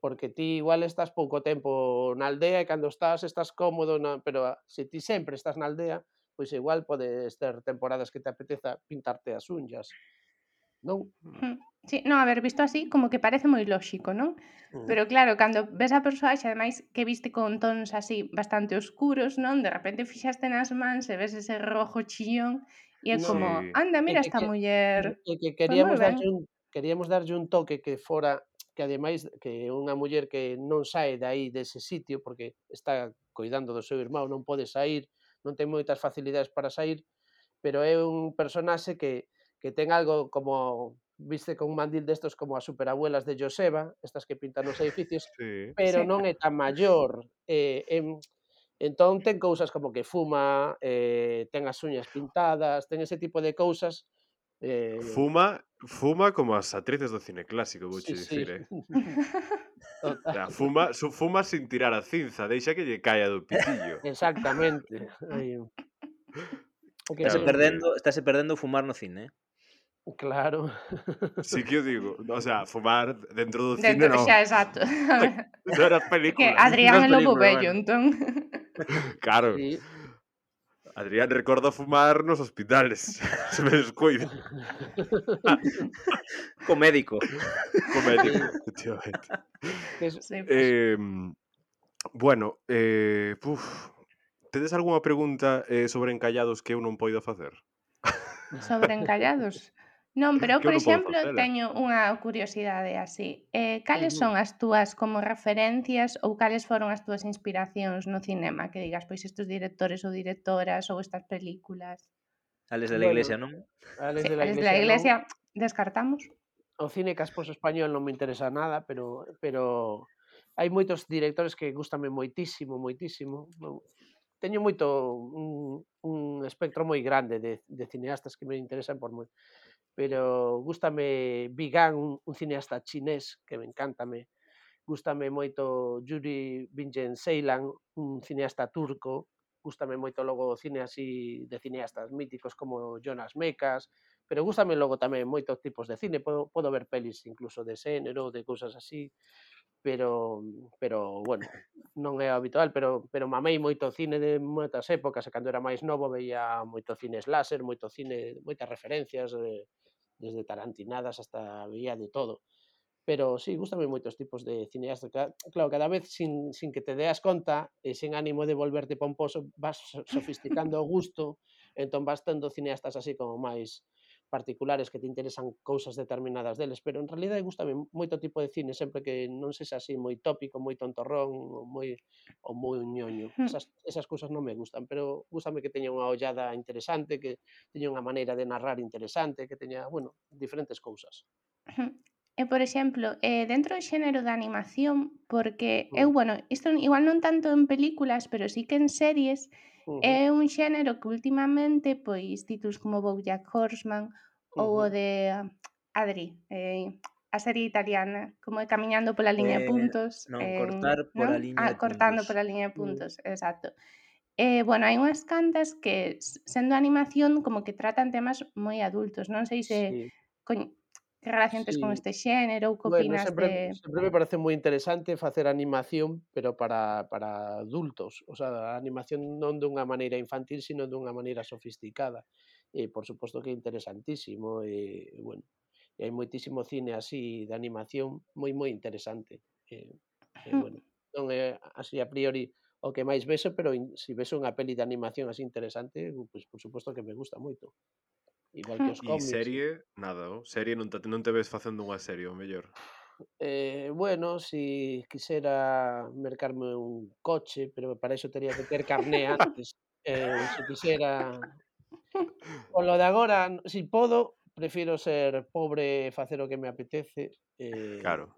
porque ti igual estás pouco tempo na aldea e cando estás cómodo pero se ti sempre estás na aldea, pois igual podes ter temporadas que te apeteza pintarte as unllas, non? Sí, non, a ver, visto así, como que parece moi lóxico, non? Mm. Pero claro, cando ves a persoaxe, ademais, que viste con tons así bastante oscuros, non? De repente fixaste nas mans e ves ese rojo chillón e é No, como, Sí. anda, é mira que esta que muller, é que pois moi queríamos ben. queríamos darlle un toque que fora, que ademais que unha muller que non sae de aí dese sitio porque está coidando do seu irmão, non pode sair, non ten moitas facilidades para sair, pero é un personaxe que ten algo como viste con un mandil destos como as superabuelas de Joseba, estas que pintan os edificios, Sí. pero Sí. non é tan maior. Entón ten cousas como que fuma, ten as uñas pintadas, ten ese tipo de cousas. Fuma como as actrices do cine clásico, Sí, vouche sí. dicir, O Total, sea, fuma sin tirar a cinza, deixa que lle caia do pitillo. exactamente. Aí, é que Claro que Estáse perdendo o fumar no cine, claro. sí que o digo, o sea, fumar dentro do cine Dentro, non, xa, exacto. A ver, non nas é que películas. Adrián Nas é lobo películas, vello, bueno. entón. Claro, Sí. Adrián recorda fumar nos hospitales, se me descuida, co médico. co médico, Sí, efectivamente. que es Sí, pois. Bueno, tedes algunha pregunta sobre encallados que eu non poida facer? Sobre encallados? Non, pero eu, Que eu por non podo exemplo, facela. teño unha curiosidade así. Cales Ujú. son as túas como referencias ou cales foron as túas inspiracións no cinema? Que digas, pois estes directores ou directoras ou estas películas. Ales de la Bueno, Iglesia, non? Ales Sí, de a la desde a Iglesia non. Iglesia descartamos. O cine casposo español non me interesa nada, pero hai moitos directores que gústame moitísimo, moitísimo. Teño moito un espectro moi grande de cineastas que me interesan por moi, pero gústame Vigan, un cineasta chinés que me encántame. Gústame moito Yuri Bingen Ceylan, un cineasta turco. Gústame moito logo o cine así de cineastas míticos como Jonas Mekas, pero gústame logo tamén moitos tipos de cine. Podo ver pelis incluso de xénero, de cousas así, pero bueno, non é habitual, pero mamei moito cine de moitas épocas, e cando era máis novo veía moito cine slasher, moito cine, moitas referencias, desde tarantinadas hasta veía de todo. Pero sí, gústame moitos tipos de cineasta, claro, cada vez sin que te deas conta e sen ánimo de volverte pomposo, vas sofisticando o gusto, entón vas tendo cineastas así como máis particulares que te interesan cousas determinadas deles, pero en realidade gústame moito tipo de cine, sempre que non sexa así moi tópico, moi tontorrón, ou moi ñoño. Esas cousas non me gustan, pero gústame que teña unha ollada interesante, que teña unha maneira de narrar interesante, que teña, bueno, diferentes cousas. E, por exemplo, dentro do xénero da animación, porque eu, Mm, bueno, isto igual non tanto en películas, pero sí que en series, ujú, é un xénero que últimamente, pois, títulos como BoJack Horseman ou o ujú. de Adri, a serie italiana, como é Camiñando pola liña de puntos, Non, cortar non? pola liña de Cortando puntos. pola liña de Mm, puntos, exacto. Bueno, hai unhas cantas que sendo animación como que tratan temas moi adultos, non sei se sí, coñ que relación tes con sí. este xénero ou que Bueno, opinas de sempre me parece moi interesante facer animación, pero para adultos. O sea, a animación non dunha maneira infantil, sino dunha maneira sofisticada. E, por suposto que é interesantísimo, bueno, e hai moitísimo cine así de animación moi interesante. Bueno, non é así a priori o que máis vexo, pero si vexo unha peli de animación así interesante, pois por suposto que me gusta moito. Igual que os E cómics. serie, nada, serie non te ves facendo unha serie, o mellor. Bueno, si quixera mercarme un coche, pero para iso tería que ter carné antes. Se quixera polo de agora, si podo, prefiro ser pobre e facer o que me apetece, Claro.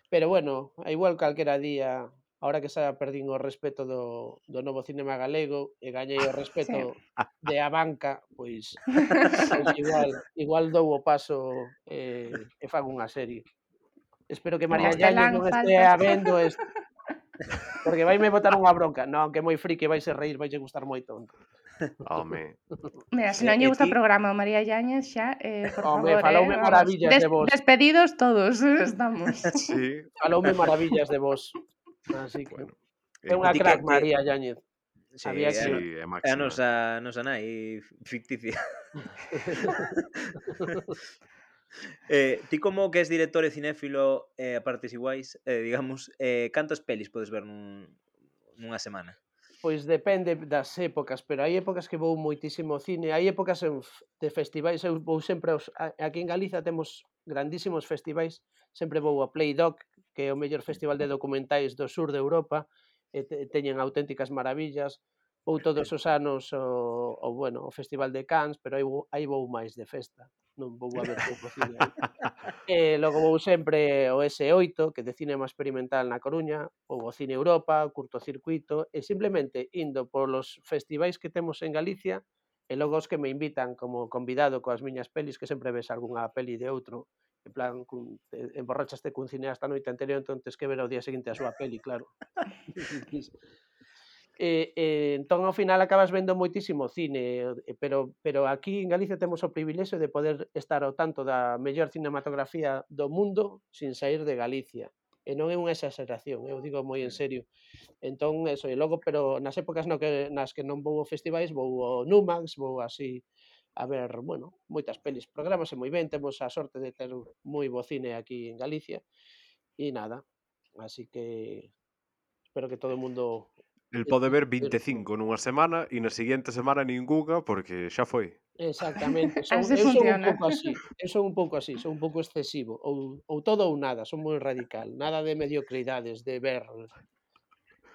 pero bueno, a igual calquera día, ahora que xa perdín o respeto do novo cinema galego e gañei o sí. respeto de a banca, pois igual dou o paso, e fago unha serie. Espero que En María Yáñez castelán non faltas. estea vendo isto, porque vaime botar unha bronca. Non, que é moi friki, vaise reír, vaille gustar moito. Home, Mira, se non lle gusta Ti, o programa ao María Yáñez xa, por Home, favor, faloume vamos, maravillas de vos, despedidos todos estamos. sí, faloume maravillas de vos, así que bueno, é unha ti crack María Yáñez. sí, Había que sí, é é a máxima. nosa nai ficticia. Ti como que és director e cinéfilo a partes iguais, digamos, cantas pelis podes ver nunha semana? Pois depende das épocas, pero hai épocas que vou moitísimo ao cine, hai épocas de festivais, eu vou sempre aquí en Galiza temos grandísimos festivais, sempre vou a Playdoc, que é o mellor festival de documentais do sur de Europa, e teñen auténticas maravillas, vou todos os anos o Festival de Cannes, pero aí vou máis de festa, non vou a ver pouco cine aí. E logo vou sempre ao S8, que é de cinema experimental na Coruña, ou ao Cine Europa, o curtocircuito, e simplemente indo polos festivais que temos en Galicia, e logo os que me invitan como convidado coas miñas pelis, que sempre ves algunha peli de outro, en plan, emborrachaste cun cineasta a noite anterior, entón tes que ver ao día seguinte a súa peli, claro. Entón ao final acabas vendo moitísimo cine, pero aquí en Galicia temos o privilexio de poder estar ao tanto da mellor cinematografía do mundo sin sair de Galicia. E non é unha exageración, eu digo moi en serio. Entón, eso, e logo, pero nas épocas nas que non vou a festivais, vou ao Numax, vou así a ver, bueno, moitas pelis. Programase moi ben, temos a sorte de ter moi bo cine aquí en Galicia, e nada, así que espero que todo o mundo El pode ver 25 nunha semana e na seguinte semana ningunha porque xa foi. Exactamente, Así eu son un funciona. pouco así, son un pouco excesivo, ou todo ou nada, son moi radical, nada de mediocridades, de ver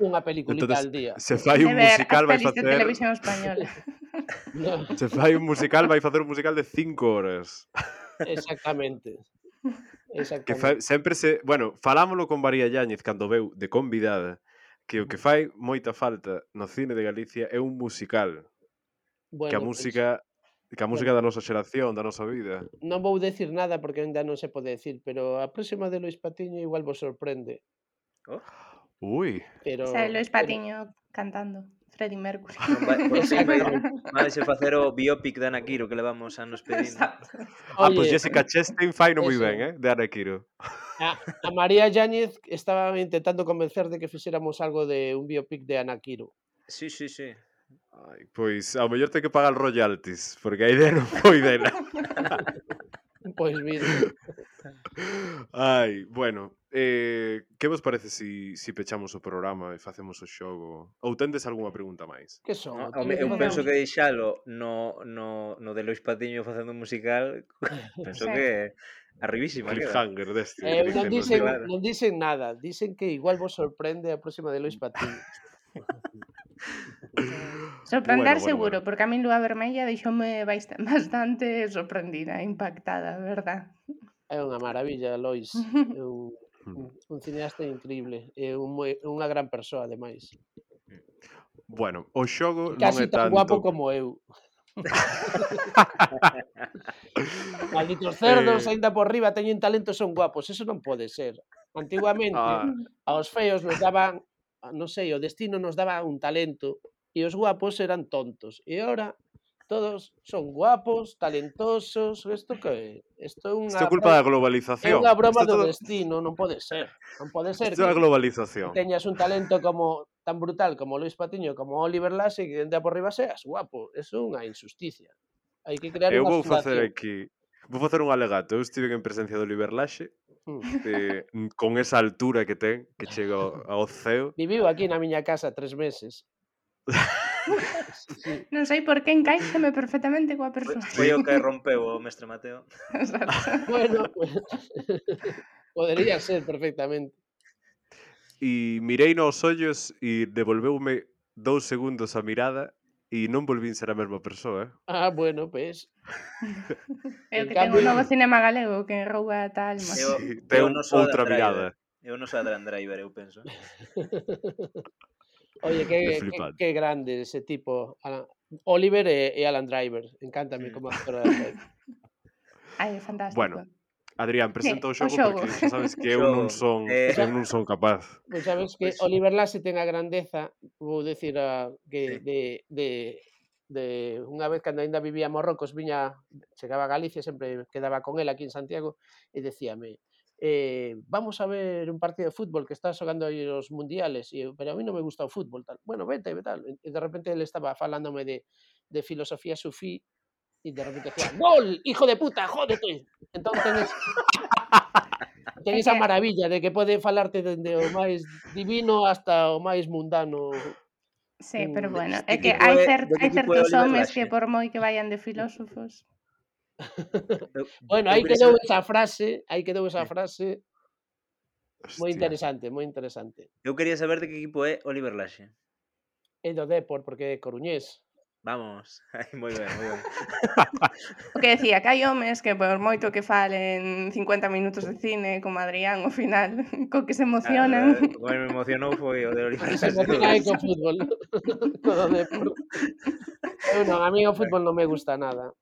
unha peliculita Entonces, al día. se fai De un ver as musical vai pelis de facer televisión española. No, se fai un musical vai facer un musical de 5 horas. exactamente, Que fai, exactamente. sempre se, bueno, falámolo con María Yáñez cando veu de convidada, que o que fai moita falta no cine de Galicia é un musical, que a Bueno, pois, música bueno, da nosa xeración, da nosa vida. non vou decir nada porque aínda non se pode decir, pero a próxima de Luís Patiño igual vos sorprende, Oh, Ui, Sae pero Lois Patiño cantando Freddie Mercury. non vai, por fin exactamente. vai se facer o biopic de Ana Quiro que levamos anos pedindo. Exacto. pois Oye, Jessica Chastain fai no moi ben, eso, de Ana Quiro. a María Yáñez estaba intentando convencer de que fixéramos algo de un biopic de Ana Quiro. Sí, sí, sí. Ai, pois ao mellor ten que pagar royalties, porque a idea non foi dela. Pois mira, Ai, bueno, que vos parece si pechamos o programa e facemos o xogo? Ou tendes algunha pregunta máis? que son? No, O teño que eu facer penso Non. que deixalo no de Lois Patiño facendo un musical, penso Sí. que arribísima queda. Cliffhanger deste que Non dicen nos dicen, libros. Claro. non dicen nada, dicen que igual vos sorprende a próxima de Lois Patiño. Sorprender Bueno. seguro, porque a min Lúa Vermella deixoume bastante sorprendida, impactada, verdad. É unha maravilla, Lois. É un cineasta increíble, é unha gran persoa, ademais. Bueno, o xogo E non casi é tan guapo tanto... como eu. Malditos cerdos, aínda por riba teñen talento, son guapos, eso non pode ser. Antiguamente, Ah, aos feos nos daban, non sei, o destino nos daba un talento e os guapos eran tontos. E agora todos son guapos, talentosos, isto que é? Isto é isto é culpa da globalización. unha broma Isto é do todo... destino, non pode ser. Non pode ser Isto é a que globalización. teñas un talento como tan brutal como Lois Patiño, como Oliver Laxe, que de por riba seas guapo. Eso é unha injusticia. Hai que crear Eu unha vou facer fundación. aquí... Vou facer un alegato. Eu estive en presencia do Oliver Laxe, Mm. con esa altura que ten, que chega ao ceo. Viviu aquí na miña casa 3 meses. Sí, sí. Non sei por que encaixame perfectamente coa persoa. Foi o que rompeu o mestre Mateo. Exacto. Bueno, podería ser perfectamente. E mirei nos ollos e devolveume 2 segundos a mirada e non volvín ser a mesma persoa, Bueno, pues. É o En que ten o cambio, novo cinema galego que rouba ata a alma. Sí, É o ten noso outra Adam Driver. mirada. É o noso Adam Driver, eu penso. Oye, É flipante. que grande ese tipo. Oliver e Alan Driver. Encántame como actor Alan Driver. Ai, é fantástico. Bueno, Adrián, presenta o O xogo xogo. porque xa sabes que eu Xogo. non son capaz. Pois sabes que Pois- Oliver Laxe ten a grandeza, vou decir que Sí. de unha vez cando aínda vivía en Marrocos, chegaba a Galicia, sempre quedaba con el aquí en Santiago e decíame: vamos a ver un partido de fútbol que está xogando aí os mundiales, e eu, pero a mí non me gusta o fútbol, tal. Bueno, vete, tal. E de repente ele estaba falándome de filosofía sufí e de repente decía: "Gol, hijo de puta, jódete". Entón ten É esa que- maravilla de que pode falarte dende o máis divino hasta o máis mundano. Sí, pero bueno, De é que equipo é de que hai equipo é certos Oliver homes Laxe? que por moi que vayan de filósofos, Eu Bueno, eu aí quería quedou saber esa frase, moi Hostia. interesante, moi interesante. eu quería saber de que equipo é Oliver Laxe. É do Depor, porque é coruñés. Vamos, ai, moi ben, moi ben. o que decía que hai homes que por moito que falen 50 minutos de cine como Adrián ao final, co que se emocionan. Claro, o que me emocionou foi o de O Oliver que se Laxe. emociona é co fútbol. Co do Depor. Eu non, a mí o fútbol non me gusta nada.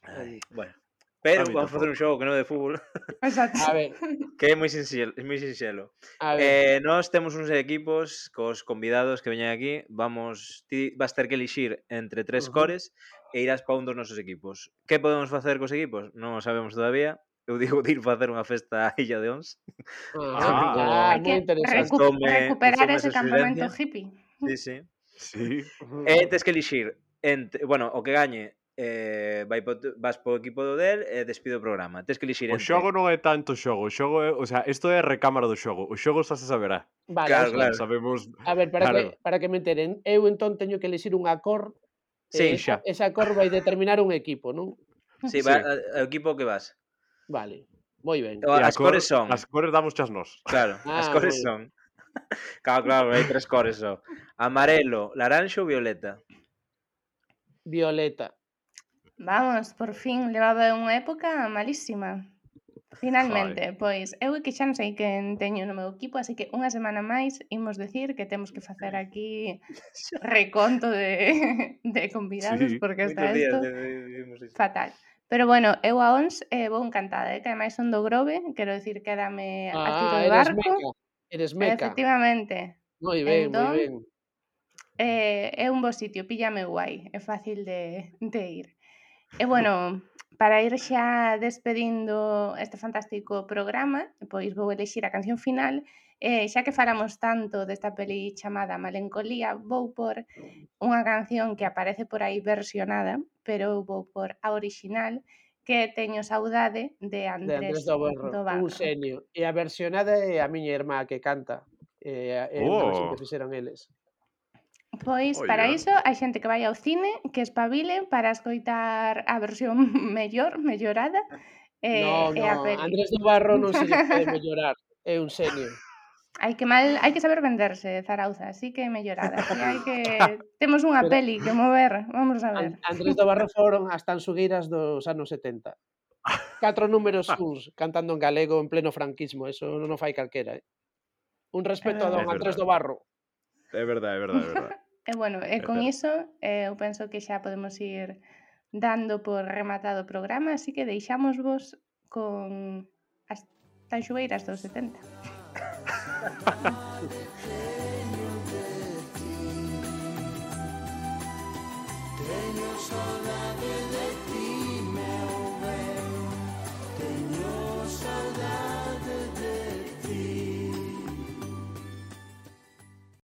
Ai, bueno, A pero mí vamos facer un tampouco. xogo que non é de fútbol, Exacto. A ver, que é moi sinxelo. a ver. Nós temos uns equipos cos convidados que veñen aquí, ti vas ter que elixir entre tres cores e irás pa un dos nosos equipos. Que podemos facer cos equipos? Non o sabemos todavía. Eu digo de ir facer unha festa á Illa de Ons. Ah, Hai moi que interesante. recuperar Gustoume ese esa campamento suxerencia. hippie. Sí, sí. Sí. Tes que elixir bueno, o que gañe vas po equipo do del e despide o programa. Tes que elixir O entre xogo non é tanto xogo, o xogo é, o sea, isto é a recámara do xogo. O xogo xa se saberá. Vale, o Claro, sea, Non claro. sabemos, a ver, claro. para que me enteren, eu entón teño que elixir unha cor Sí, e xa. esa cor vai determinar un equipo, non? sí, Sí. o equipo que vas. Vale, moi ben. E As cores son, as cores damos chas nós. claro, as Ah, cores moi ben. son. Claro, hai tres cores só. Amarelo, laranxo ou violeta. Violeta. Vamos, por fin, levaba unha época malísima. Finalmente, pois eu é que xa non sei quen teño no meu equipo, así que unha semana máis imos decir que temos que facer aquí reconto de de convidados, Sí. porque está Moitos días isto vimos isto. fatal. Pero bueno, eu a ONS vou encantada, que ademais son do Grove, quero decir, quédame a tiro de Eres barco. meca. Eres meca. Efectivamente. Moi ben, moi Entón, ben. é un bo sitio, píllame guai, é fácil de ir. E bueno, para ir xa despedindo este fantástico programa, pois vou elixir a canción final, xa que falamos tanto desta peli chamada Malencolía, vou por unha canción que aparece por aí versionada, pero eu vou por a original, que Teño saudade, de De Andrés Andrés do do un Barro. xenio. E a versionada é a miña irmá que canta. É unha versión que fixeron eles. Pois Oye. para iso hai xente que vai ao cine, que espabile para escoitar a versión mellorada Non, e a non, peli. Andrés do Barro non se lle pode mellorar. É un xenio. Hai que saber venderse, Zarauza, así que mellorada. Así hai que temos unha Pero peli que mover, vamos a ver. Andrés do Barro foron as tansugueiras dos anos 70. 4 números uns cantando en galego en pleno franquismo, eso non o fai calquera, Un respeto a don É Andrés verdade. do Barro. É verdade, é verdade, é verdade. E bueno, e con iso eu penso que xa podemos ir dando por rematado o programa, así que deixámosvos con as tanxueiras dos 70. Teño saudade de ti.